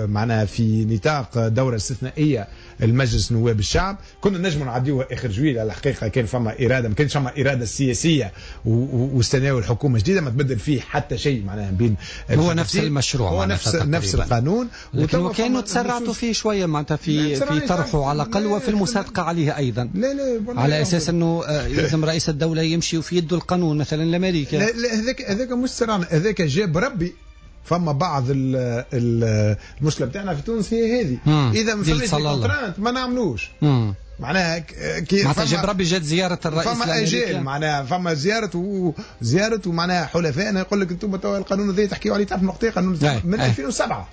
معناها في نطاق دوره استثنائية المجلس نواب الشعب. كنا نجموا نعديوها اخر جويل على الحقيقة، كان فما اراده، ما كانش فما اراده سياسية واستناو الحكومة جديدة ما تبدل فيه حتى شيء معناها بين هو نفس المشروع، هو نفس القانون، لكن وكانوا تسرعتوا فيه شوية معناتها في طرحه على الاقل وفي المصادقة عليه ايضا. لا لا على اساس انه لازم رئيس الدولة يمشي وفي يده القانون مثلا الامريكي. لا لا هذاك مش سرعنا، هذاك جاب ربي. فما بعض المشكلة بتاعنا في تونس هي هذه، اذا ما فماش contrainte ما نعملوش. معناها كي معناتها جاب ربي جات زيارة الرئيس فما اجال، معناها فما زيارة ومعناها حلفائنا يقول لك انتم توا القانون هذا تحكيوا عليه، تعرف من وقتها قانون من 2007.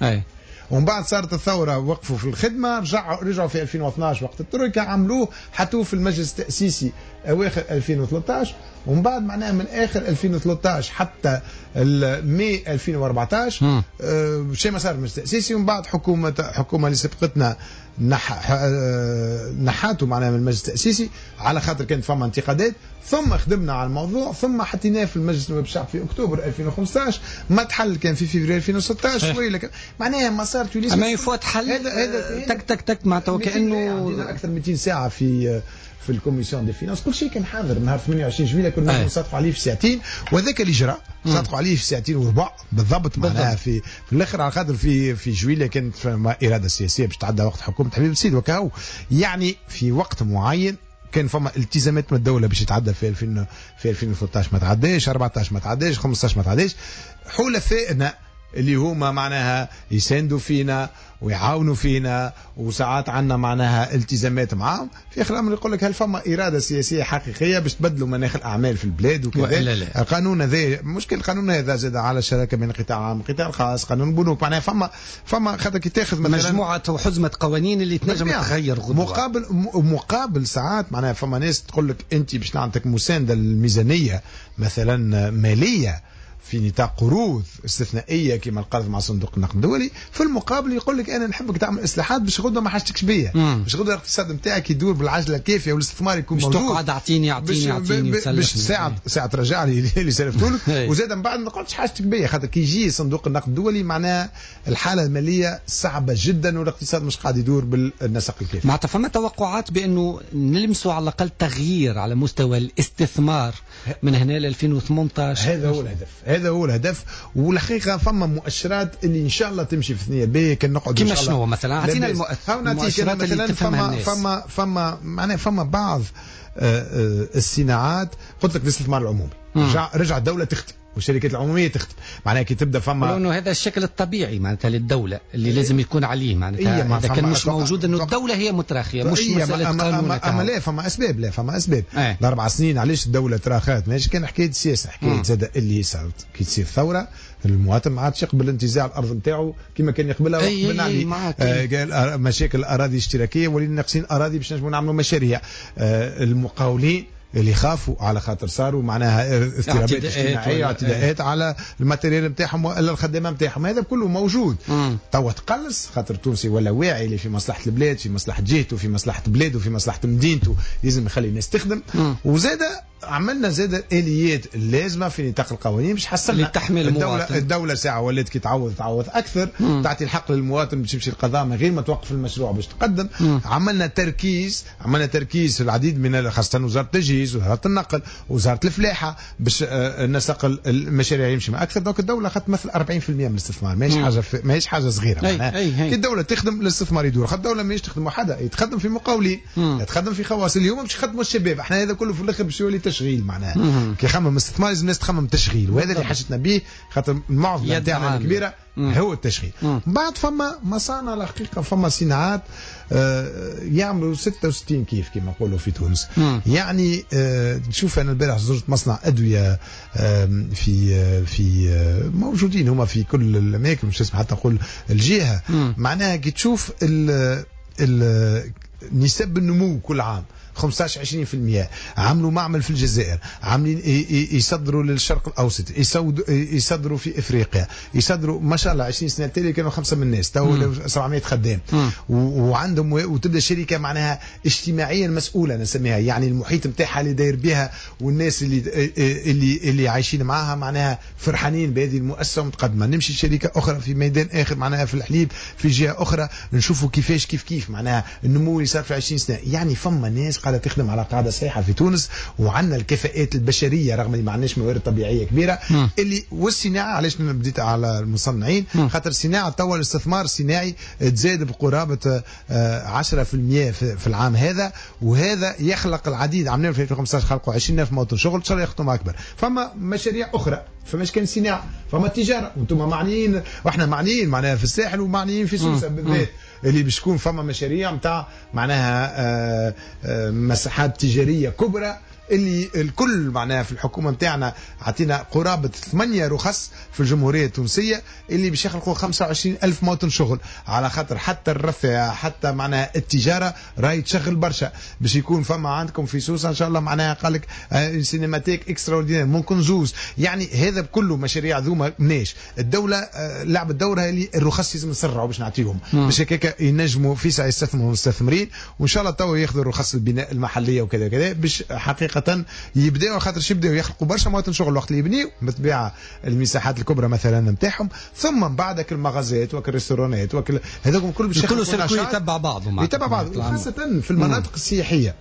ومن بعد صارت الثورة وقفوا في الخدمة، رجعوا في 2012 وقت الترويكا عملوه، حطوه في المجلس التاسيسي اواخر 2013، ومن بعد معناها من اخر 2013 حتى ماي 2014 شيء ما صار المجلس التاسيسي. ومن بعد حكومة اللي سبقتنا نحاته معناها من المجلس التاسيسي على خاطر كانت فما انتقادات، ثم خدمنا على الموضوع، ثم حطيناه في المجلس النواب الشعب في اكتوبر 2015، ما تحل كان في فبراير 2016 شوي، لكن معناها مسار تونس اما يفوت حل هذا تك تك تك معناتها وكانه اكثر من 200 ساعة في ال commission des finances، كل شيء كان حاضر نهار 28 جويلية كنا نصادقوا عليه في ساعتين، وهذاك اللي جرى صادقوا عليه في ساعتين وربع بالضبط معناها في الاخر، على خاطر في جويلية كانت فما اراده سياسية باش تعدى وقت حكومة حبيب السيد وكهو، يعني في وقت معين كان فما التزامات من الدولة باش يتعدى في 2013 ما تعداش، 14 ما تعداش، 15 ما تعداش. حلفائنا اللي هما معناها يساندوا فينا ويعاونوا فينا وساعات عندنا معناها التزامات معاهم، في اخر الامر يقول لك هل فما اراده سياسية حقيقية باش تبدلوا مناخ الاعمال في البلاد وكذا. القانون هذا مشكل، القانون هذا زاد على الشراكة بين القطاع العام والقطاع الخاص، قانون البنوك، معناها فما خاطر كي تاخذ مثلا مجموعة وحزمه قوانين اللي تنجم تغير غدوه مقابل ساعات معناها فما ناس تقول لك انت باش نعطيك مساندة للميزانيه مثلا ماليه في نطاق قروض استثنائية كما القرض مع صندوق النقد الدولي، في المقابل يقول لك انا نحبك تعمل اصلاحات باش غدوه ما حاجتكش بيا، باش غدوه الاقتصاد نتاعك يدور بالعجله الكافيه والاستثمار يكون موجود، باش تقعد اعطيني اعطيني اعطيني باش ساعة ترجع لي اللي سلفته لك، وزاد من بعد ما نقعدش حاجتك بيا، خاطر كي يجي صندوق النقد الدولي معناها الحالة المالية صعبة جدا والاقتصاد مش قاعد يدور بالنسق الكافي. معناتها فما توقعات بانه نلمسوا على الاقل تغيير على مستوى الاستثمار من هنا ل 2018. هذا هو الهدف، هذا هو الهدف. والحقيقة فما مؤشرات اللي ان شاء الله تمشي في ثنيه باهيه كان نقعد كيما شنو مثلا؟ اعطينا المؤشرات اللي تفهمها الناس. فما معناها فما بعض الصناعات، قلت لك الاستثمار العمومي رجع الدولة تخدم والشركات العمومية تخدم، معناها كي تبدا فما لانه هذا الشكل الطبيعي معناتها للدولة اللي لازم يكون عليه، معناتها اذا كان مش موجود انه الدولة هي متراخيه مش مسالة قانون. اما لا فما اسباب، لا فما اسباب. الاربع سنين علاش الدولة تراخات؟ ماهيش كان حكاية سياسة، حكاية زاد اللي صارت كي تصير ثورة المواطن ما عادش يقبل انتزاع الارض نتاعو كما كان يقبلها وقت بن علي. مشاكل الاراضي الاشتراكية ولينا ناقصين اراضي باش نجموا نعملوا مشاريع. المقاولين اللي خافوا على خاطر صاروا معناها اضطرابات اجتماعية واعتداءات على ال matériel نتاعهم والا الخدامة نتاعهم، هذا كله موجود. توا تقلص خاطر التونسي ولا واعي اللي في مصلحة البلاد، في مصلحة جهته، في مصلحة بلاده، في مصلحة مدينته، لازم يخلي الناس تخدم. وزاد عملنا زاد اليات اللازمة في نطاق القوانين باش حسنا الدولة ساعة ولات كي تعوض اكثر، تعطي الحق للمواطن باش يمشي القضاء من غير ما توقف المشروع باش تقدم. عملنا تركيز في العديد من خاصة وزارة التجهيز، وزارة النقل، وزارة الفلاحة باش نسق المشاريع يمشي مع اكثر. donc الدولة خاطر تمثل 40% من الاستثمار، ماهيش حاجة صغيرة. كي الدولة تخدم الاستثمار يدور، خاطر الدولة ماهيش تخدم وحدها، تخدم في مقاولين، تخدم في خواص، اليوم باش يخدموا الشباب. احنا هذا كله في الاخر باش يولي تشغيل، معناها كي يخمم استثمار لازم الناس تخمم تشغيل، وهذا اللي حاجتنا به خاطر المعضلة نتاعنا الكبيرة هو التشغيل. بعد فما مصانع الحقيقة، فما صناعات يعملوا 66 كيف كما نقولوا في تونس. يعني تشوف انا البارح زرت مصنع ادوية في في موجودين هما في كل الاماكن، مش اسم حتى نقول الجهة. معناها كي تشوف نسب النمو كل عام 15 20%، عملوا معمل في الجزائر، عاملين يصدروا للشرق الاوسط، يصدروا في افريقيا، يصدروا ما شاء الله 20 سنة التالية كانوا 5 من الناس، تو 700 خدام. وعندهم وتبدا شركة معناها اجتماعيا مسؤولة نسميها، يعني المحيط نتاعها اللي داير بها والناس اللي اللي اللي عايشين معاها معناها فرحانين بهذه المؤسسة ومتقدمه. نمشي شركة اخرى في ميدان اخر معناها في الحليب في جهة اخرى، نشوفوا كيفاش كيف كيف معناها النمو اللي صار في 20 سنة. يعني فما ناس قاعدة تخدم على قاعدة صحيحه في تونس، وعندنا الكفاءات البشرية رغم اللي ما عندناش موارد طبيعية كبيرة. اللي والصناعة، علاش بديت على المصنعين؟ خاطر الصناعة توا الاستثمار الصناعي تزاد بقرابه 10% في العام هذا، وهذا يخلق العديد. عملنا في 2015 خلقوا 20000 مواطن شغل، ان شاء الله يخدموا اكبر. فما مشاريع اخرى، فماش كان صناعة، فما تجارة، وانتم معنيين واحنا معنيين معناها في الساحل ومعنيين في سوسة بالذات، اللي باش تكون فما مشاريع نتاع معناها مساحات تجارية كبرى اللي الكل معناها في الحكومة نتاعنا عطينا قرابة 8 رخص في الجمهورية التونسية اللي باش يخلقوا 25,000 مواطن شغل، على خاطر حتى الرفاه حتى معناها التجارة راهي تشغل برشا. باش يكون فما عندكم في سوسة ان شاء الله معناها قال لك cinémathèque extraordinaire ممكن زوز، يعني هذا بكله مشاريع ذوما مناش الدولة لعبت دورها اللي الرخص لازم نسرعوا باش نعطيهم باش هكاك ينجموا في ساعة يستثمروا المستثمرين، وان شاء الله تو ياخذوا رخص البناء المحلية وكذا كذا باش حقيقة يبداوا، خاطر يبداو يخلقوا برشا مواطن شغل وقت اللي يبنيو بالطبيعة المساحات الكبرى مثلا نتاعهم، ثم من بعدك المغازات وك الريستورانات وك هذوك الكل باش يخلقوا نشاط يتبع بعضهم يتبع بعض، خاصة في المناطق السياحية.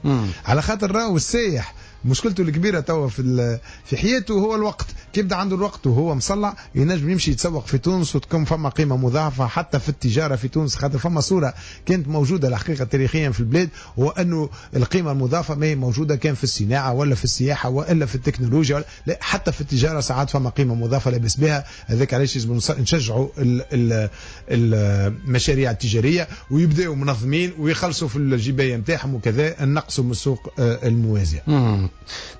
على خاطر راهو السايح مشكلته الكبيرة توا في حياته هو الوقت، كي يبدا عنده الوقت وهو مصلع ينجم يمشي يتسوق في تونس وتكون فما قيمة مضاعفه حتى في التجارة في تونس، خاطر فما صوره كانت موجودة الحقيقة تاريخيا في البلاد، هو انه القيمة المضافة ما هي موجودة كان في الصناعة ولا في السياحة والا في التكنولوجيا ولا لا، حتى في التجارة ساعات فما قيمة مضافة لاباس بها. هذاك علاش لازم نشجعوا المشاريع التجارية ويبداوا منظمين ويخلصوا في الجبايه نتاعهم وكذا، نقصوا من السوق الموازيه.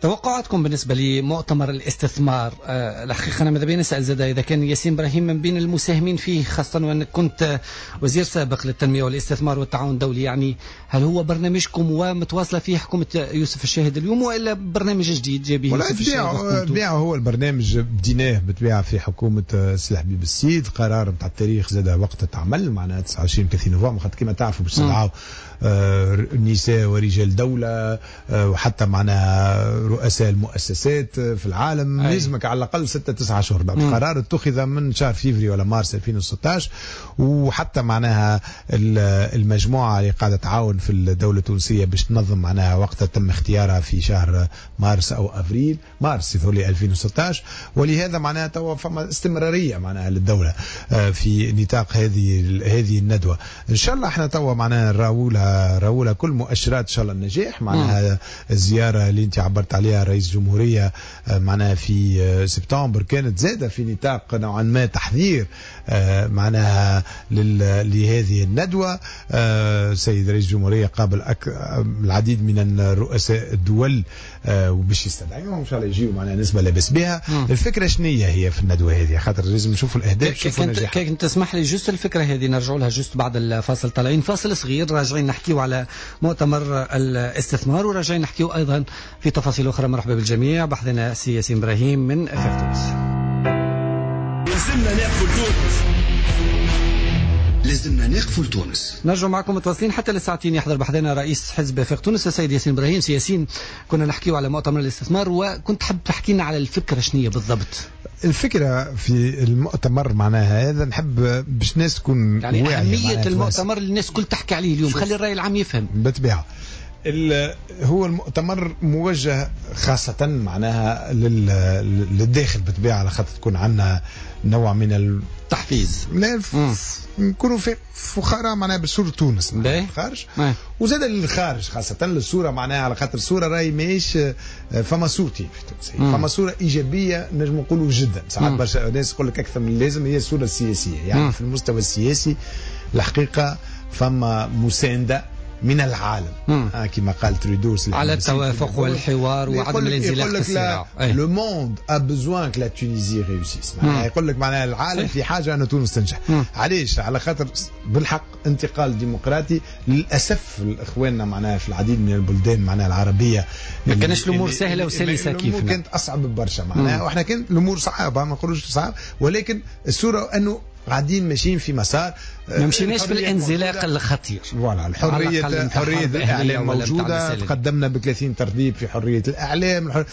توقعاتكم بالنسبة لمؤتمر الاستثمار؟ الحقيقة أنا ماذا بيا نسأل زاد إذا كان ياسين إبراهيم من بين المساهمين فيه، خاصة وأنك كنت وزير سابق للتنمية والاستثمار والتعاون الدولي، يعني هل هو برنامجكم ومتواصلة فيه حكومة يوسف الشاهد اليوم وإلا برنامج جديد جاب يوسف الشاهد؟ بالطبيعة هو البرنامج بديناه بالطبيعة في حكومة سي حبيب السيد، قرار نتاع التاريخ زاد وقت تعمل معناها 29 30 نوفمبر، خاطر كما تعرفوا باش تدعوا نساء ورجال دولة وحتى معناها رؤساء المؤسسات في العالم، لازمك على الأقل 6-9 أشهر. القرار اتخذ من شهر فيفري ولا مارس 2016، وحتى معناها المجموعة اللي قاعدة تعاون في الدولة التونسية باش تنظم معناها وقتها تم اختيارها في شهر مارس أو أفريل، مارس يظهر 2016، ولهذا معناها توا فما استمرارية معناها للدولة في نطاق هذه الندوة. إن شاء الله احنا توا معناها راولها كل مؤشرات إن شاء الله النجاح، معناها الزيارة اللي انت عبرت عليها رئيس الجمهورية معناها في سبتمبر كانت زادة في نطاق نوعا ما تحذير معناها لهذه الندوة. سيد رئيس الجمهورية قابل العديد من الرؤساء الدول وباش يستدعيهم ان شاء الله يجيو معناها نسبة لاباس بها. الفكرة شنية هي في الندوة هذه؟ خاطر لازم نشوفوا الأهداف، نشوفوا النجاح. كان تسمح لي juste الفكرة هذه نرجعوا لها juste بعد الفاصل، طالعين فاصل صغير راجعين نحكيو على مؤتمر الاستثمار وراجعين نحكيو أيضا في تفاصيل أخرى. مرحبا بالجميع، بحثنا سي ياسين إبراهيم من آفاق تونس. لازمنا نقفوا لتونس، لازمنا نقفوا لتونس. نرجع معكم متواصلين حتى للساعتين. يحضر بحذنا رئيس حزب آفاق تونس السيد ياسين إبراهيم. سي ياسين، كنا نحكيو على مؤتمر الاستثمار وكنت حاب تحكي لنا على الفكرة شنية بالضبط؟ الفكرة في المؤتمر معناها هذا نحب باش الناس تكون يعني أهمية المؤتمر اللي الناس كل تحكي عليه اليوم، خلي الرأي العام يفهم. بالطبيعة هو المؤتمر موجه خاصة معناها للداخل بالطبيعة، على خاطر تكون عندنا نوع من التحفيز، نكونوا في فخراء معناها بصورة تونس الخارج، وزاد للخارج خاصة للصورة معناها، على خاطر الصورة راهي ماهيش فما صورتين في تونس، فما صورة إيجابية نجم نقولوا جدا، ساعات برشا ناس يقول لك أكثر من اللازم، هي الصورة السياسية. يعني في المستوى السياسي الحقيقة فما مساندة من العالم كما قال تريدو على التوافق والحوار وعدم الانزلاق في الصراع. le monde a besoin que la Tunisie réussisse، معناها يقول لك معناها العالم في حاجة ان تونس تنجح. علاش؟ على خاطر بالحق انتقال ديمقراطي. للاسف اخواننا معناها في العديد من البلدان معناها العربية ما كانش الامور سهلة وسلسه كيفنا، كانت اصعب برشا معناها، واحنا كانت الامور صعبة ما نقولوش صعب، ولكن الصورة انه قاعدين ماشيين في مسار، ما مشيناش في الانزلاق الخطير. voilà الحرية، حرية الاعلام موجودة، تقدمنا ب 30 ترتيب في حرية الاعلام،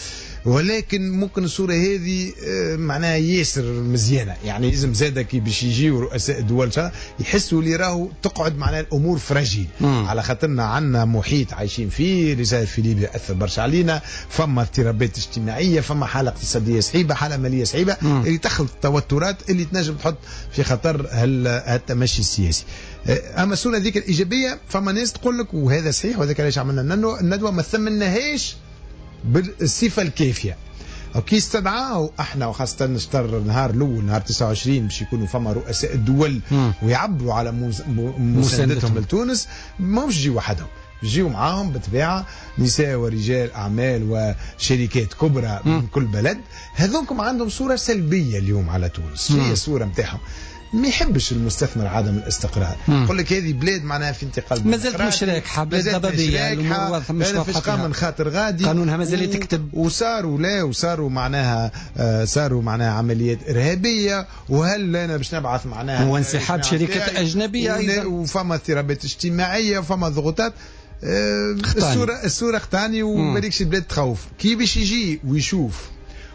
ولكن ممكن الصورة هذه معناها ياسر مزيانه، يعني لازم زاده كي باش يجيو رؤساء الدول يحسوا اللي راهو تقعد معناها الامور fragile، على خاطرنا عندنا محيط عايشين فيه، اللي صاير في ليبيا اثر برشا علينا، فما اضطرابات اجتماعية، فما حاله اقتصادية صعيبة، حاله ماليه صعيبة، اللي تخلق توترات اللي تنجم تحط في خطر التمشي السياسي. اما الصورة ذيك الايجابية فما ناس تقول لك وهذا صحيح، وهذاك علاش عملنا الندوة، ما ثمناهاش بالصفة الكافيه. كي استدعاو احنا وخاصة نشتر النهار الاول نهار 29 باش يكونوا فما رؤساء الدول ويعبروا على مساندتهم لتونس، ماهمش يجيو وحدهم، يجيو معاهم بالطبيعة نساء ورجال اعمال وشركات كبرى من كل بلد. هذوكم عندهم صوره سلبية اليوم على تونس، هي الصورة نتاعهم. ما يحبش المستثمر عدم الاستقرار، يقول لك هذه بلاد معناها في انتقال، مازالت مش راكحه، بلاد ضبابية، الامور مش واضحة، من خاطر غادي قانونها مازال يتكتب، وصاروا لا وصاروا معناها صاروا معناها عمليات ارهابية، وهل انا باش نبعث معناها وانسحاب شركات اجنبية ايضا، وفما اضطرابات اجتماعية وفما ضغوطات. الصورة اختاني وبالكش البلاد تخوف. كي باش يجي ويشوف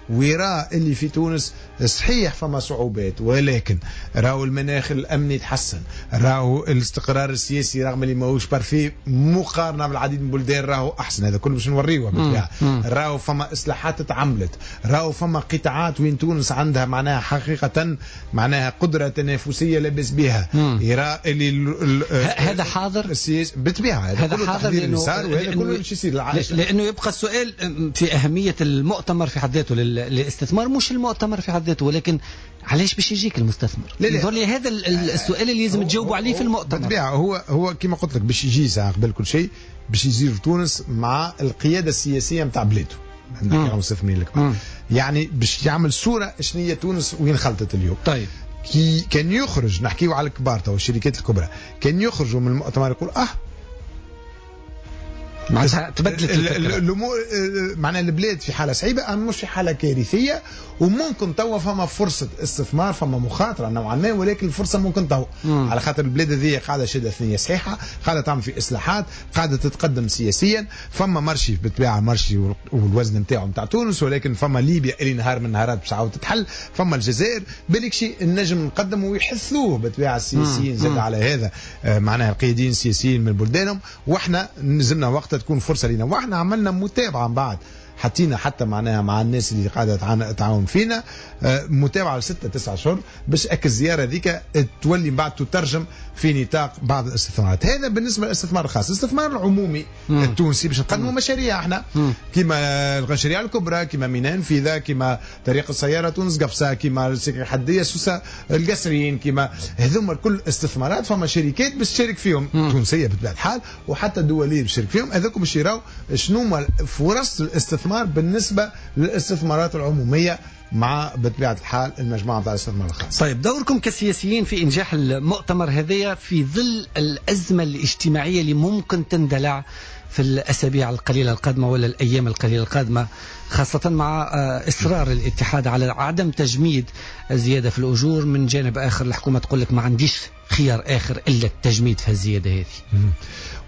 ويرى اللي في تونس صحيح فما صعوبات، ولكن راهو المناخ الامني تحسن، راهو الاستقرار السياسي رغم اللي ماهوش parfait مقارنة بالعديد من البلدان راهو احسن، هذا كله باش نوريوه بالطبيعة. راهو فما اصلاحات تعملت، راهو فما قطاعات وين تونس عندها معناها حقيقة معناها قدره تنافسية لاباس بها. يرى اللي هذا حاضر السياسي بالطبيعة، هذا حاضر لانه وهذا كله باش يصير، لانه يبقى السؤال في اهمية المؤتمر في حد ذاته للاستثمار، مش المؤتمر في حد ذاته، ولكن علاش باش يجيك المستثمر؟ يظهر لي هذا السؤال اللي لازم تجاوبوا عليه في المؤتمر. بالطبيعة هو كما قلت لك باش يجي ساعة قبل كل شيء باش يزور تونس مع القيادة السياسية نتاع بلاده، نحكي على المستثمرين الكبار، يعني باش يعمل صوره شنو هي تونس وين خلطت اليوم. طيب كي كان يخرج، نحكيو على الكبار تو الشركات الكبرى، كان يخرجوا من المؤتمر يقول معناتها تبدلت الامور، معناها البلاد في حاله صعيبة اما مش في حاله كارثية، وممكن توا فما فرصة استثمار، فما مخاطره نوعا ما، ولكن الفرصة ممكن توا على خاطر البلاد هذه قاعدة شاده ثنيه صحيحه، قاعدة تعمل في اصلاحات، قاعدة تتقدم سياسيا، فما marché بالطبيعة marché والوزن نتاعو نتاع تونس، ولكن فما ليبيا اللي نهار من النهارات باش تعاود تتحل، فما الجزائر بالك شيء النجم نقدم ويحثوه بالطبيعة السياسيين زاد على هذا معناها القياديين السياسيين من بلدانهم، واحنا نزلنا وقتها تكون فرصة لنا، واحنا عملنا متابعه من بعد، حطينا حتى معناها مع الناس اللي قاعدة تعاون فينا متابعه لستة 9 اشهر باش اك الزيارة ذيك تولي من بعد تترجم في نطاق بعض الاستثمارات. هذا بالنسبة للاستثمار الخاص. الاستثمار العمومي التونسي باش نقدموا مشاريع احنا كما المشاريع الكبرى، كما ميناء نفيذه، كما طريق السيارة تونس قفصه، كما السكة الحدية سوسة القصرين، كما هذوما الكل استثمارات فما شركات باش تشارك فيهم تونسية بطبيعة الحال وحتى دولية باش تشارك فيهم. هذوك باش يراو شنو فرص الاستثمار بالنسبة للاستثمارات العمومية مع بطبيعة الحال المجموعة نتاع الاستثمار الخاص. طيب دوركم كسياسيين في إنجاح المؤتمر هذايا في ظل الأزمة الاجتماعية اللي ممكن تندلع في الأسابيع القليلة القادمة ولا الأيام القليلة القادمة، خاصة مع إصرار الاتحاد على عدم تجميد الزيادة في الأجور، من جانب آخر الحكومة تقول لك ما عنديش خيار آخر إلا التجميد في الزيادة هذه.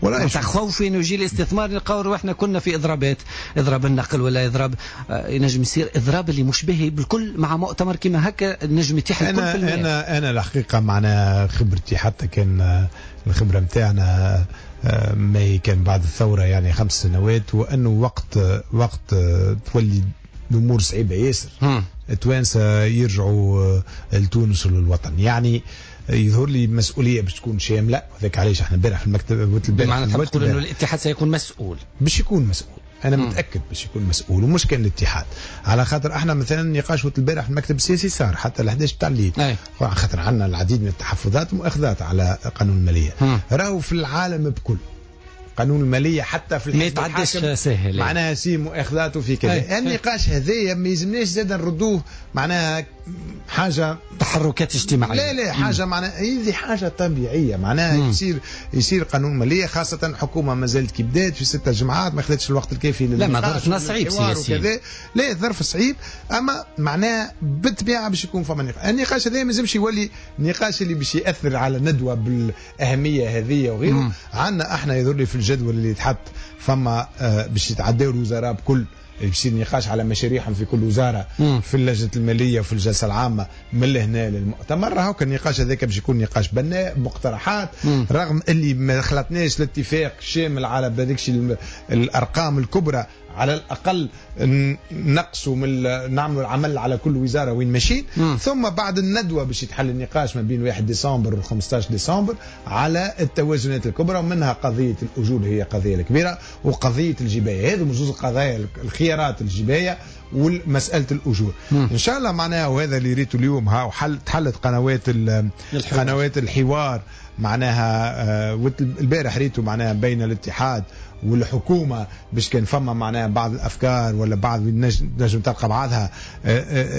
ولا خوف انه يجي الاستثمار نلقاو روحنا كنا في اضرابات، اضراب النقل ولا اضراب، ينجم يصير اضراب اللي مشبه بالكل مع مؤتمر كما هكا نجم يتيح الكل في المال. انا الحقيقة معنا خبرتي حتى كان الخبرة نتاعنا ما كان بعد الثورة يعني 5 سنوات، وانه وقت تولي الامور صعيبة ياسر التوانسة يرجعوا لتونس وللوطن، يعني يظهر لي مسؤولية باش تكون شاملة. وذاك علاش احنا امبارح في المكتب بمعنى تقول انه الاتحاد سيكون مسؤول، باش يكون مسؤول، انا متاكد باش يكون مسؤول، ومش كان الاتحاد، على خاطر احنا مثلا نقاش البارح في المكتب السياسي صار حتى ل 11 تاع الليل، على خاطر عندنا العديد من التحفظات والمؤاخذات على قانون المالية. راهو في العالم بكل قانون المالية حتى في ما يتعداش ساهل، معناها سي مؤاخذات وفي كذا. النقاش هذايا ما يلزمناش زاد نردوه معناها حاجة تحركات اجتماعية، لا حاجة معناها هذه حاجة طبيعية، معناها يصير قانون ماليه، خاصة الحكومة ما زالت كي بدات في 6 جمعات ما خذتش الوقت الكافي. لا ما ظرفنا صعيب سياسي، لا ظرف صعيب، اما معناها بالطبيعة باش يكون فما نقاش. النقاش هذا ما لازمش يولي نقاش اللي باش ياثر على ندوه بالاهميه هذه وغيره. عندنا احنا يظهر لي في الجدول اللي يتحط فما باش يتعداو الوزراء بكل، باش يصير نقاش على مشاريعهم في كل وزارة في اللجنة المالية وفي الجلسة العامة من لهنا للمؤتمر. هاك النقاش هذاك باش يكون نقاش بناء مقترحات، رغم اللي ما خلطناش الاتفاق شامل على بهذيك الارقام الكبرى على الاقل نقصوا من نعملوا العمل على كل وزارة وين ماشيين. ثم بعد الندوة باش يتحل النقاش ما بين 1 ديسمبر و 15 ديسمبر على التوازنات الكبرى، ومنها قضية الاجور هي قضية الكبيرة، وقضية الجبايه. هذو زوز القضايا، الخيارات الجبايه والمسالة الاجور. ان شاء الله معناها، وهذا اللي ريته اليوم، ها تحلت قنوات الحوار معناها. البارح ريته معناها بين الاتحاد والحكومة باش كان فما معناها بعض الافكار ولا بعض نجم تلقى بعضها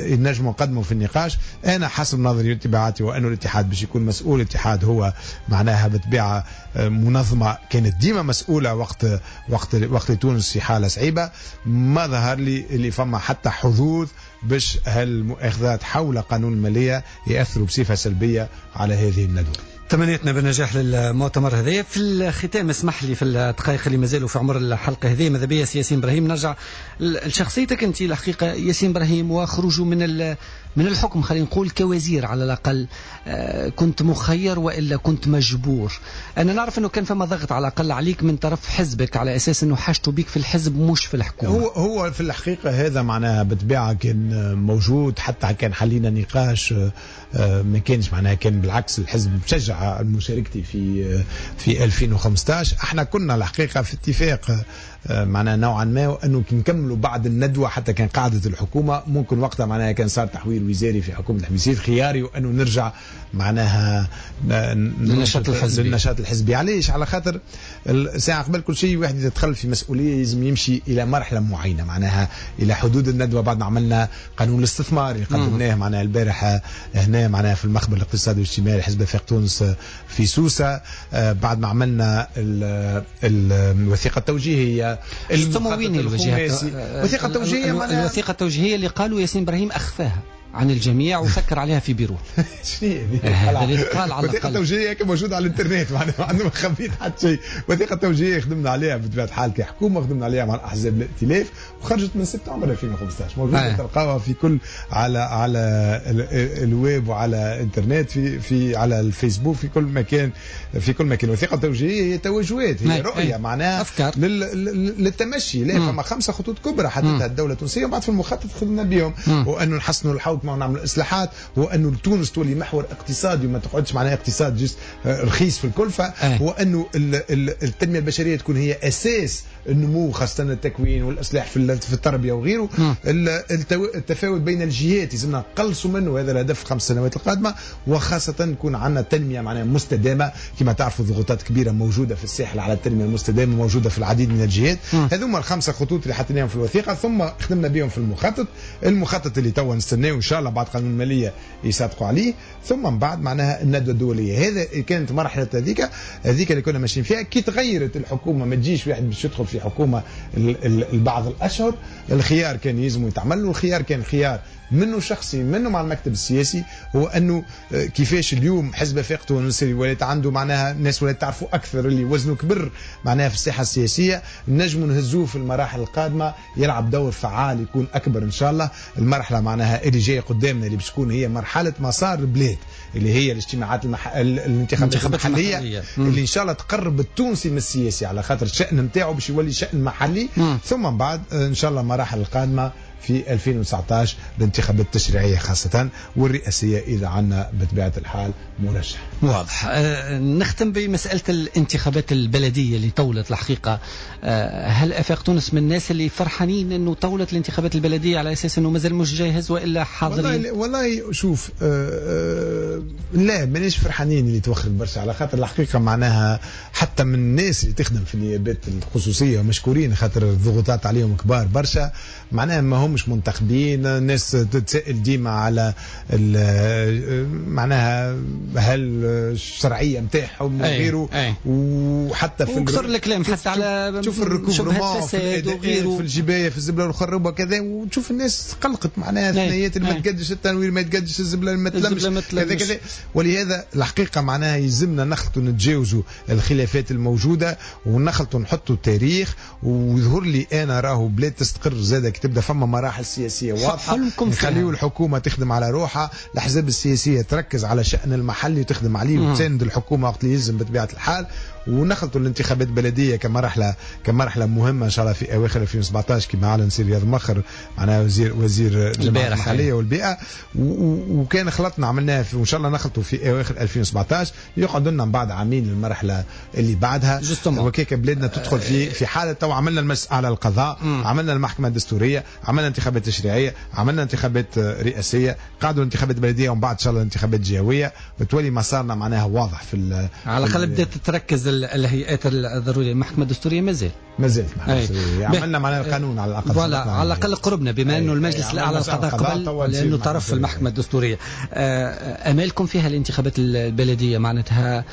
نجم نقدموا في النقاش. انا حسب نظري واتباعاتي وانه الاتحاد باش يكون مسؤول. الاتحاد هو معناها بطبيعة منظمة كانت ديما مسؤولة وقت وقت وقت تونس في حاله صعيبة. ما ظهر لي اللي فما حتى حظوظ باش هالمؤاخذات حول قانون المالية ياثروا بصفة سلبية على هذه الندوة. تمنيتنا بالنجاح للمؤتمر هذا. في الختام اسمح لي في الدقائق اللي مازالوا في عمر الحلقة هذه، ماذا بيا سي ياسين ابراهيم نرجع لشخصيتك انت الحقيقة ياسين ابراهيم، وخروجه من الحكم خلينا نقول كوزير على الاقل، كنت مخير والا كنت مجبور؟ انا نعرف انه كان فما ضغط على الاقل عليك من طرف حزبك على اساس انه حاجته بيك في الحزب مش في الحكومة. هو في الحقيقة هذا معناها بالطبيعة كان موجود، حتى كان حلينا نقاش ما كانش معناها، كان بالعكس الحزب مشجع مشاركتي في 2015. احنا كنا الحقيقة في اتفاق معناها نوعا ما انه كي نكملوا بعد الندوة، حتى كان قاعدة الحكومة ممكن وقتها معناها كان صار تحويل وزاري في حكومة الحميسير خياري، وانه نرجع معناها للنشاط الحزبي. للنشاط الحزبي. علاش؟ على خاطر ساعة قبل كل شيء واحد يدخل في مسؤولية لازم يمشي الى مرحلة معينة، معناها الى حدود الندوة. بعد ما عملنا قانون الاستثمار اللي قدمناه معناها البارح هنا معناها في المخبر الاقتصادي والاجتماعي لحزب آفاق تونس في سوسة، بعد ما عملنا الوثيقة التوجيهيه، الوثيقة التوجيهيه معناها الوثيقة التوجيهيه اللي قالوا ياسين ابراهيم اخفاها عن الجميع وسكر عليها في بيرو. شنو هي؟ الوثيقة التوجيهيه موجودة على الانترنت، معناها ما خبيت حتى شيء. الوثيقة التوجيهيه خدمنا عليها بطبيعة الحال كحكومة، خدمنا عليها مع الاحزاب الائتلاف، وخرجت من سبتمبر 2015 موجودة، تلقاوها في كل على الويب وعلى الانترنت، في على الفيسبوك، في كل مكان، في كل مكان. الوثيقة التوجيهيه هي توجهات، هي رؤية معناها أفكار للتمشي. لا فما 5 خطوط كبرى حددتها الدولة التونسية، وبعد في المخطط خدمنا بهم، وانه نحسنوا الحوكمة ونعمل اصلاحات، وانه تونس تولي محور اقتصادي وما تقعدش معناها اقتصاد juste رخيص في الكلفة، وانه التنمية البشرية تكون هي اساس النمو، خاصة التكوين والاصلاح في التربية وغيره. التفاوت بين الجهات لازمنا نقلصوا منه، هذا الهدف 5 سنوات القادمة، وخاصة نكون عندنا تنمية معناها مستدامة. كما تعرفوا ضغوطات كبيرة موجودة في الساحل على التنمية المستدامة، موجودة في العديد من الجهات. هذوما ال5 خطوط اللي حطيناهم في الوثيقة، ثم خدمنا بهم في المخطط اللي توا نستناه ان شاء الله بعد قانون المالية يصادقوا عليه، ثم من بعد معناها الندوة الدولية. هذا كانت مرحلة هذيك اللي كنا ماشيين فيها. كي تغيرت الحكومة ما تجيش واحد باش يدخل في حكومة البعض الاشهر، الخيار كان يلزم يتعمل، والخيار كان خيار منه شخصي منه مع المكتب السياسي، هو انه كيفاش اليوم حزب آفاق تونس ولات عنده معناها الناس ولات تعرفوا اكثر، اللي وزنه كبر معناها في الساحة السياسية، نجموا نهزوه في المراحل القادمة يلعب دور فعال يكون اكبر ان شاء الله. المرحلة معناها اللي جاية قدامنا اللي باش تكون هي مرحلة مسار البلاد، اللي هي الاجتماعات الانتخابات المحلية اللي ان شاء الله تقرب التونسي من السياسي، على خاطر الشان نتاعو باش يولي شان محلي. ثم من بعد ان شاء الله المراحل القادمة في 2019 الانتخابات التشريعية خاصة والرئاسية إذا عنا بطبيعة الحال مرشح. واضح. نختم بمسألة الانتخابات البلدية اللي طولت الحقيقة. هل آفاق تونس من الناس اللي فرحانين أنه طولت الانتخابات البلدية على أساس أنه مازال مش جاهز وإلا حاضرين؟ والله شوف، لا مانيش فرحانين اللي توخرت برشا، على خاطر الحقيقة معناها حتى من الناس اللي تخدم في النيابات الخصوصية مشكورين، خاطر الضغوطات عليهم كبار برشا، معناها ما همش منتخبين. الناس تتسائل ديما على معناها هل الشرعية نتاعهم وغيره، وحتى في وكثر الكلام حتى على تشوف ال recouvrement في الجبايه في الزبله والخروبه وكذا، وتشوف الناس قلقت معناها ثنيات اللي ما تقدش التنوير، ما تقدش الزبله، ما تلمش كذا كذا. ولهذا الحقيقة معناها يلزمنا نخلطوا نتجاوزوا الخلافات الموجودة ونخلطوا نحطوا التاريخ. ويظهر لي انا راهو بلاد تستقر زاده كي تبدا فما مراحل سياسية واضحة، نخليو الحكومة تخدم على روحها، الاحزاب السياسية تركز على شان المحلي وتخدم عليه وتساند الحكومة وقت اللي يلزم بطبيعة الحال، ونخلطوا الانتخابات البلدية كمرحلة مهمة ان شاء الله في اواخر 2017 كما اعلن سي رياض مخر معناها وزير الجماعة المحلية والبيئة، وكان خلطنا عملناها وان شاء الله نخلطوا في اواخر 2017، يقعد لنا من بعد عامين المرحلة اللي بعدها، وكيك بلادنا تدخل في حاله. تو عملنا المجلس على القضاء، عملنا المحكمة الدستورية، عملنا انتخابات تشريعية، عملنا انتخابات رئاسيه، قعدوا انتخابات بلديه، ومن بعد ان شاء الله انتخابات جهويه، وتولي مسارنا معناها واضح في على الاقل بدات تتركز الهيئات الضرورية. المحكمة الدستورية مازال عملنا معناها القانون على الاقل، voilà على الاقل قربنا، بما انه المجلس الاعلى للقضاء قبل لانه طرف في المحكمة الدستورية. امالكم فيها الانتخابات البلدية معناتها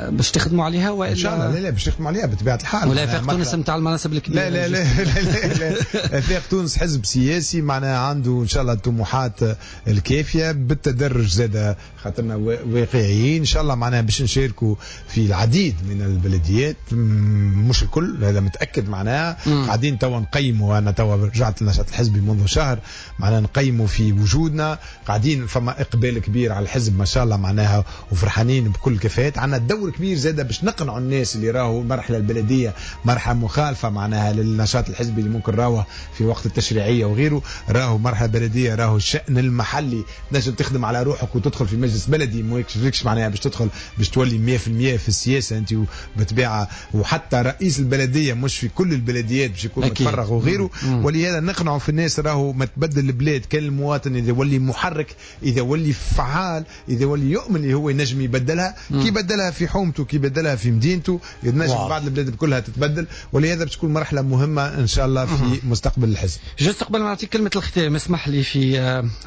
باش تخدموا عليها والا؟ ان شاء الله لا باش نخدموا عليها بطبيعة الحال. ولا افاق تونس نتاع المناصب الكبيرة؟ لا لا لا لا لا افاق تونس حزب سياسي معناها عنده ان شاء الله الطموحات الكافيه بالتدرج زاد، خاطرنا واقعيين ان شاء الله معناها باش نشاركوا في العديد من البلديات، مش الكل هذا متاكد معناها. قاعدين توا نقيموا، انا توا رجعت للنشاط الحزبي منذ شهر، معناها نقيموا في وجودنا، قاعدين فما اقبال كبير على الحزب ما شاء الله معناها، وفرحانين بكل كفاءات. عندنا دور كبير زاده باش نقنعوا الناس اللي راهو المرحلة البلدية مرحلة مخالفة معناها للنشاط الحزبي اللي ممكن راوه في وقت التشريعية وغيره، راهو مرحلة بلديه، راهو الشان المحلي تنجم تخدم على روحك وتدخل في مجلس بلدي، ما يكشفلكش معناها باش تدخل باش تولي 100% في السياسة انت بطبيعة، وحتى رئيس البلدية مش في كل البلديات باش يكون متفرغ وغيره. ولهذا نقنعوا في الناس راهو ما تبدل البلاد كان المواطن اذا يولي محرك، اذا يولي فعال، اذا يولي يؤمن اللي هو ينجم يبدلها، كي بدلها في حومته كي بدلها في مدينته، ينجم بعد البلاد كلها تتبدل. ولهذا باش تكون مرحلة مهمة ان شاء الله في مستقبل الحزب. juste قبل ما نعطيك كلمة الختام اسمح لي في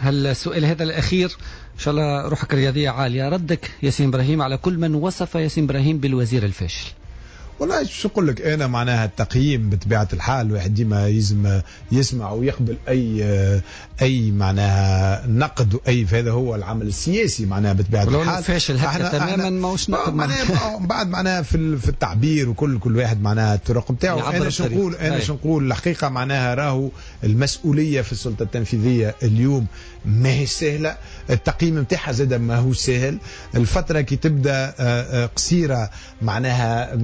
هالسؤال هذا الاخير، ان شاء الله روحك الرياضية عالية، ردك ياسين ابراهيم على كل من وصف ياسين ابراهيم بالوزير الفاشل. والله شو نقول لك انا، معناها التقييم بطبيعة الحال الواحد ديما يلزم يسمع ويقبل اي معناها نقد واي، فهذا هو العمل السياسي معناها بطبيعة الحال. فاشل هكا تماما ماهوش نقد معناها بعد معناها في التعبير وكل واحد معناها الطرق نتاعو. انا شو نقول، انا شو نقول الحقيقة معناها راهو المسؤولية في السلطة التنفيذية اليوم ما هي سهلة، التقييم نتاعها زاد ما هو سهل، الفترة كي تبدا قصيرة معناها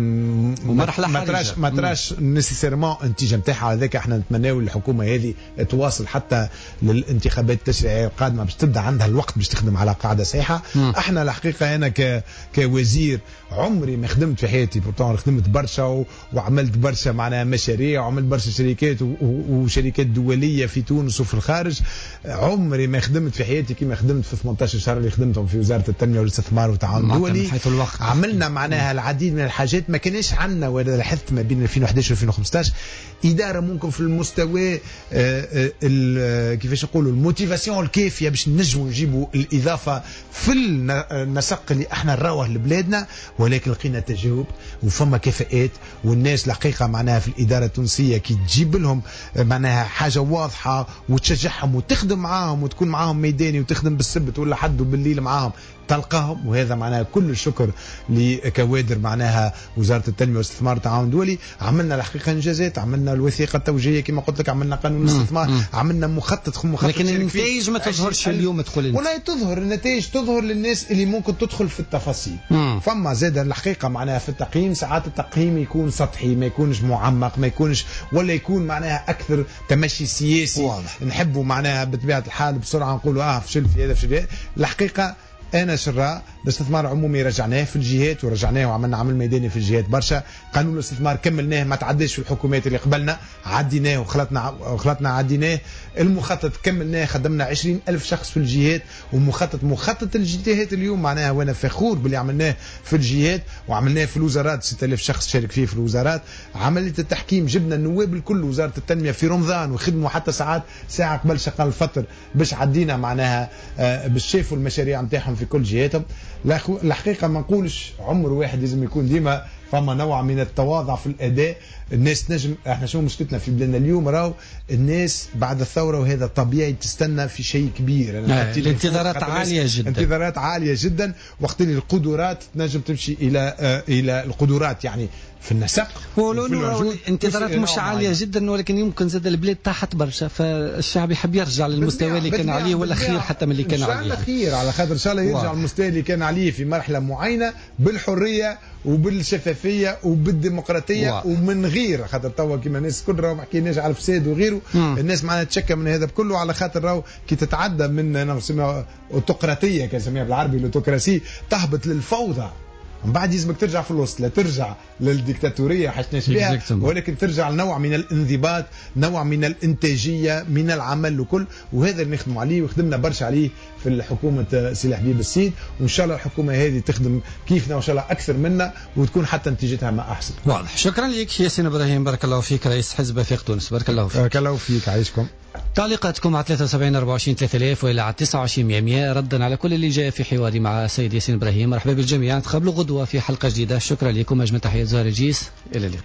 ومرحلة ما تراش nécessairement النتيجة نتاعها. هذاك احنا نتمناو الحكومة هذه تواصل حتى للانتخابات التشريعية القادمة باش تبدا عندها الوقت باش تخدم على قاعدة صحيحه. احنا الحقيقة انا كوزير عمري ما خدمت في حياتي، pourtant خدمت برشا وعملت برشا معناها مشاريع وعملت برشا شركات وشركات دولية في تونس وفي الخارج، عمري ما خدمت في حياتي كما خدمت في 18 شهر اللي خدمتهم في وزارة التنمية والاستثمار والتعاون الدولي. عملنا معناها العديد من الحاجات ما كانش عندنا، ولا لاحظت ما بين 2011 و 2015 ادارة ممكن في المستوى كيفاش نقولوا ال motivation الكافيه باش نجموا نجيبوا الاضافة في النسق اللي احنا نراوه لبلادنا، ولكن لقينا تجاوب وفما كفاءات، والناس الحقيقة معناها في الادارة التونسية كي تجيب لهم معناها حاجة واضحة وتشجعهم وتخدم معاهم وتكون معاهم ميداني وتخدم بالسبت ولا حد وبالليل معاهم تلقاهم. وهذا معناها كل الشكر لكوادر معناها وزارة التنمية والاستثمار والتعاون الدولي. عملنا الحقيقة انجازات، عملنا الوثيقة التوجيهيه كما قلت لك، عملنا قانون الاستثمار، عملنا مخطط لكن النتائج ما تظهرش اليوم. تقول والله تظهر النتائج، تظهر للناس اللي ممكن تدخل في التفاصيل. فما زاد الحقيقة معناها في التقييم ساعات التقييم يكون سطحي، ما يكونش معمق، ما يكونش ولا يكون معناها اكثر تمشي سياسي. واضح. نحبوا معناها بطبيعة الحال بسرعة نقولوا فشل في هذا فشل في هذا. الحقيقة انا شراء الاستثمار العمومي رجعناه في الجهات ورجعناه وعملنا عمل ميداني في الجهات برشا. قانون الاستثمار كملناه، ما تعداش في الحكومات اللي قبلنا، عديناه وخلطنا عديناه. المخطط كملناه، خدمنا 20,000 شخص في الجهات، ومخطط مخطط الجهات اليوم معناها وانا فخور باللي عملناه في الجهات وعملناه في الوزارات، 6000 شخص شارك فيه في الوزارات. عملية التحكيم جبنا النواب الكل وزارة التنمية في رمضان وخدموا حتى ساعات ساعة قبل شقال الفطر باش عدينا معناها باش شافوا المشاريع نتاعهم في كل جهاتهم. الحقيقة ما نقولش عمر واحد لازم يكون ديما فما نوع من التواضع في الاداء. الناس نجم احنا شنو مشكلتنا في بلادنا اليوم، راهو الناس بعد الثورة وهذا طبيعي تستنى في شيء كبير. الانتظارات عالية جدا، انتظارات عالية جدا، وقت اللي القدرات تنجم تمشي الى القدرات يعني في النسق. الانتظارات مش عالية جدا، ولكن يمكن زاد البلاد طاحت برشا، فالشعب يحب يرجع للمستوى اللي كان عليه ولا خير حتى من اللي كان عليه. ان شاء الله خير، على خاطر ان شاء الله يرجع للمستوى اللي كان عليه في مرحلة معينة بالحرية وبالشفافيه. وبالشفافيه وبالديمقراطيه ومن غير خاطر توا كيما الناس الكل راهو ما حكيناش على الفساد وغيره. الناس معناها تشكى من هذا بكله، على خاطر راهو كي تتعدى من نسميها autocratie، كنسميها بالعربي l'autocratie، تهبط للفوضى، من بعد يلزمك ترجع في الوسط، لا ترجع للديكتاتوريه حشناش بها، ولكن ترجع لنوع من الانضباط، نوع من الانتاجية، من العمل وكل. وهذا اللي نخدموا عليه وخدمنا برشا عليه في الحكومة سي حبيب السيد، وان شاء الله الحكومة هذه تخدم كيفنا وان شاء الله اكثر منا وتكون حتى نتيجتها ما احسن. واضح. شكرا لك ياسين ابراهيم، بارك الله فيك، رئيس حزب افاق تونس، بارك الله فيك. بارك الله فيك، عايشكم. تعليقاتكم على 73 24 3000 والى على 29 100 ردا على كل اللي جاء في حواري مع السيد ياسين ابراهيم. مرحبا بالجميع، نتقابلوا غدوه في حلقة جديدة. شكرا لكم، اجمل تحيات زهر الجيس، الى اللقاء.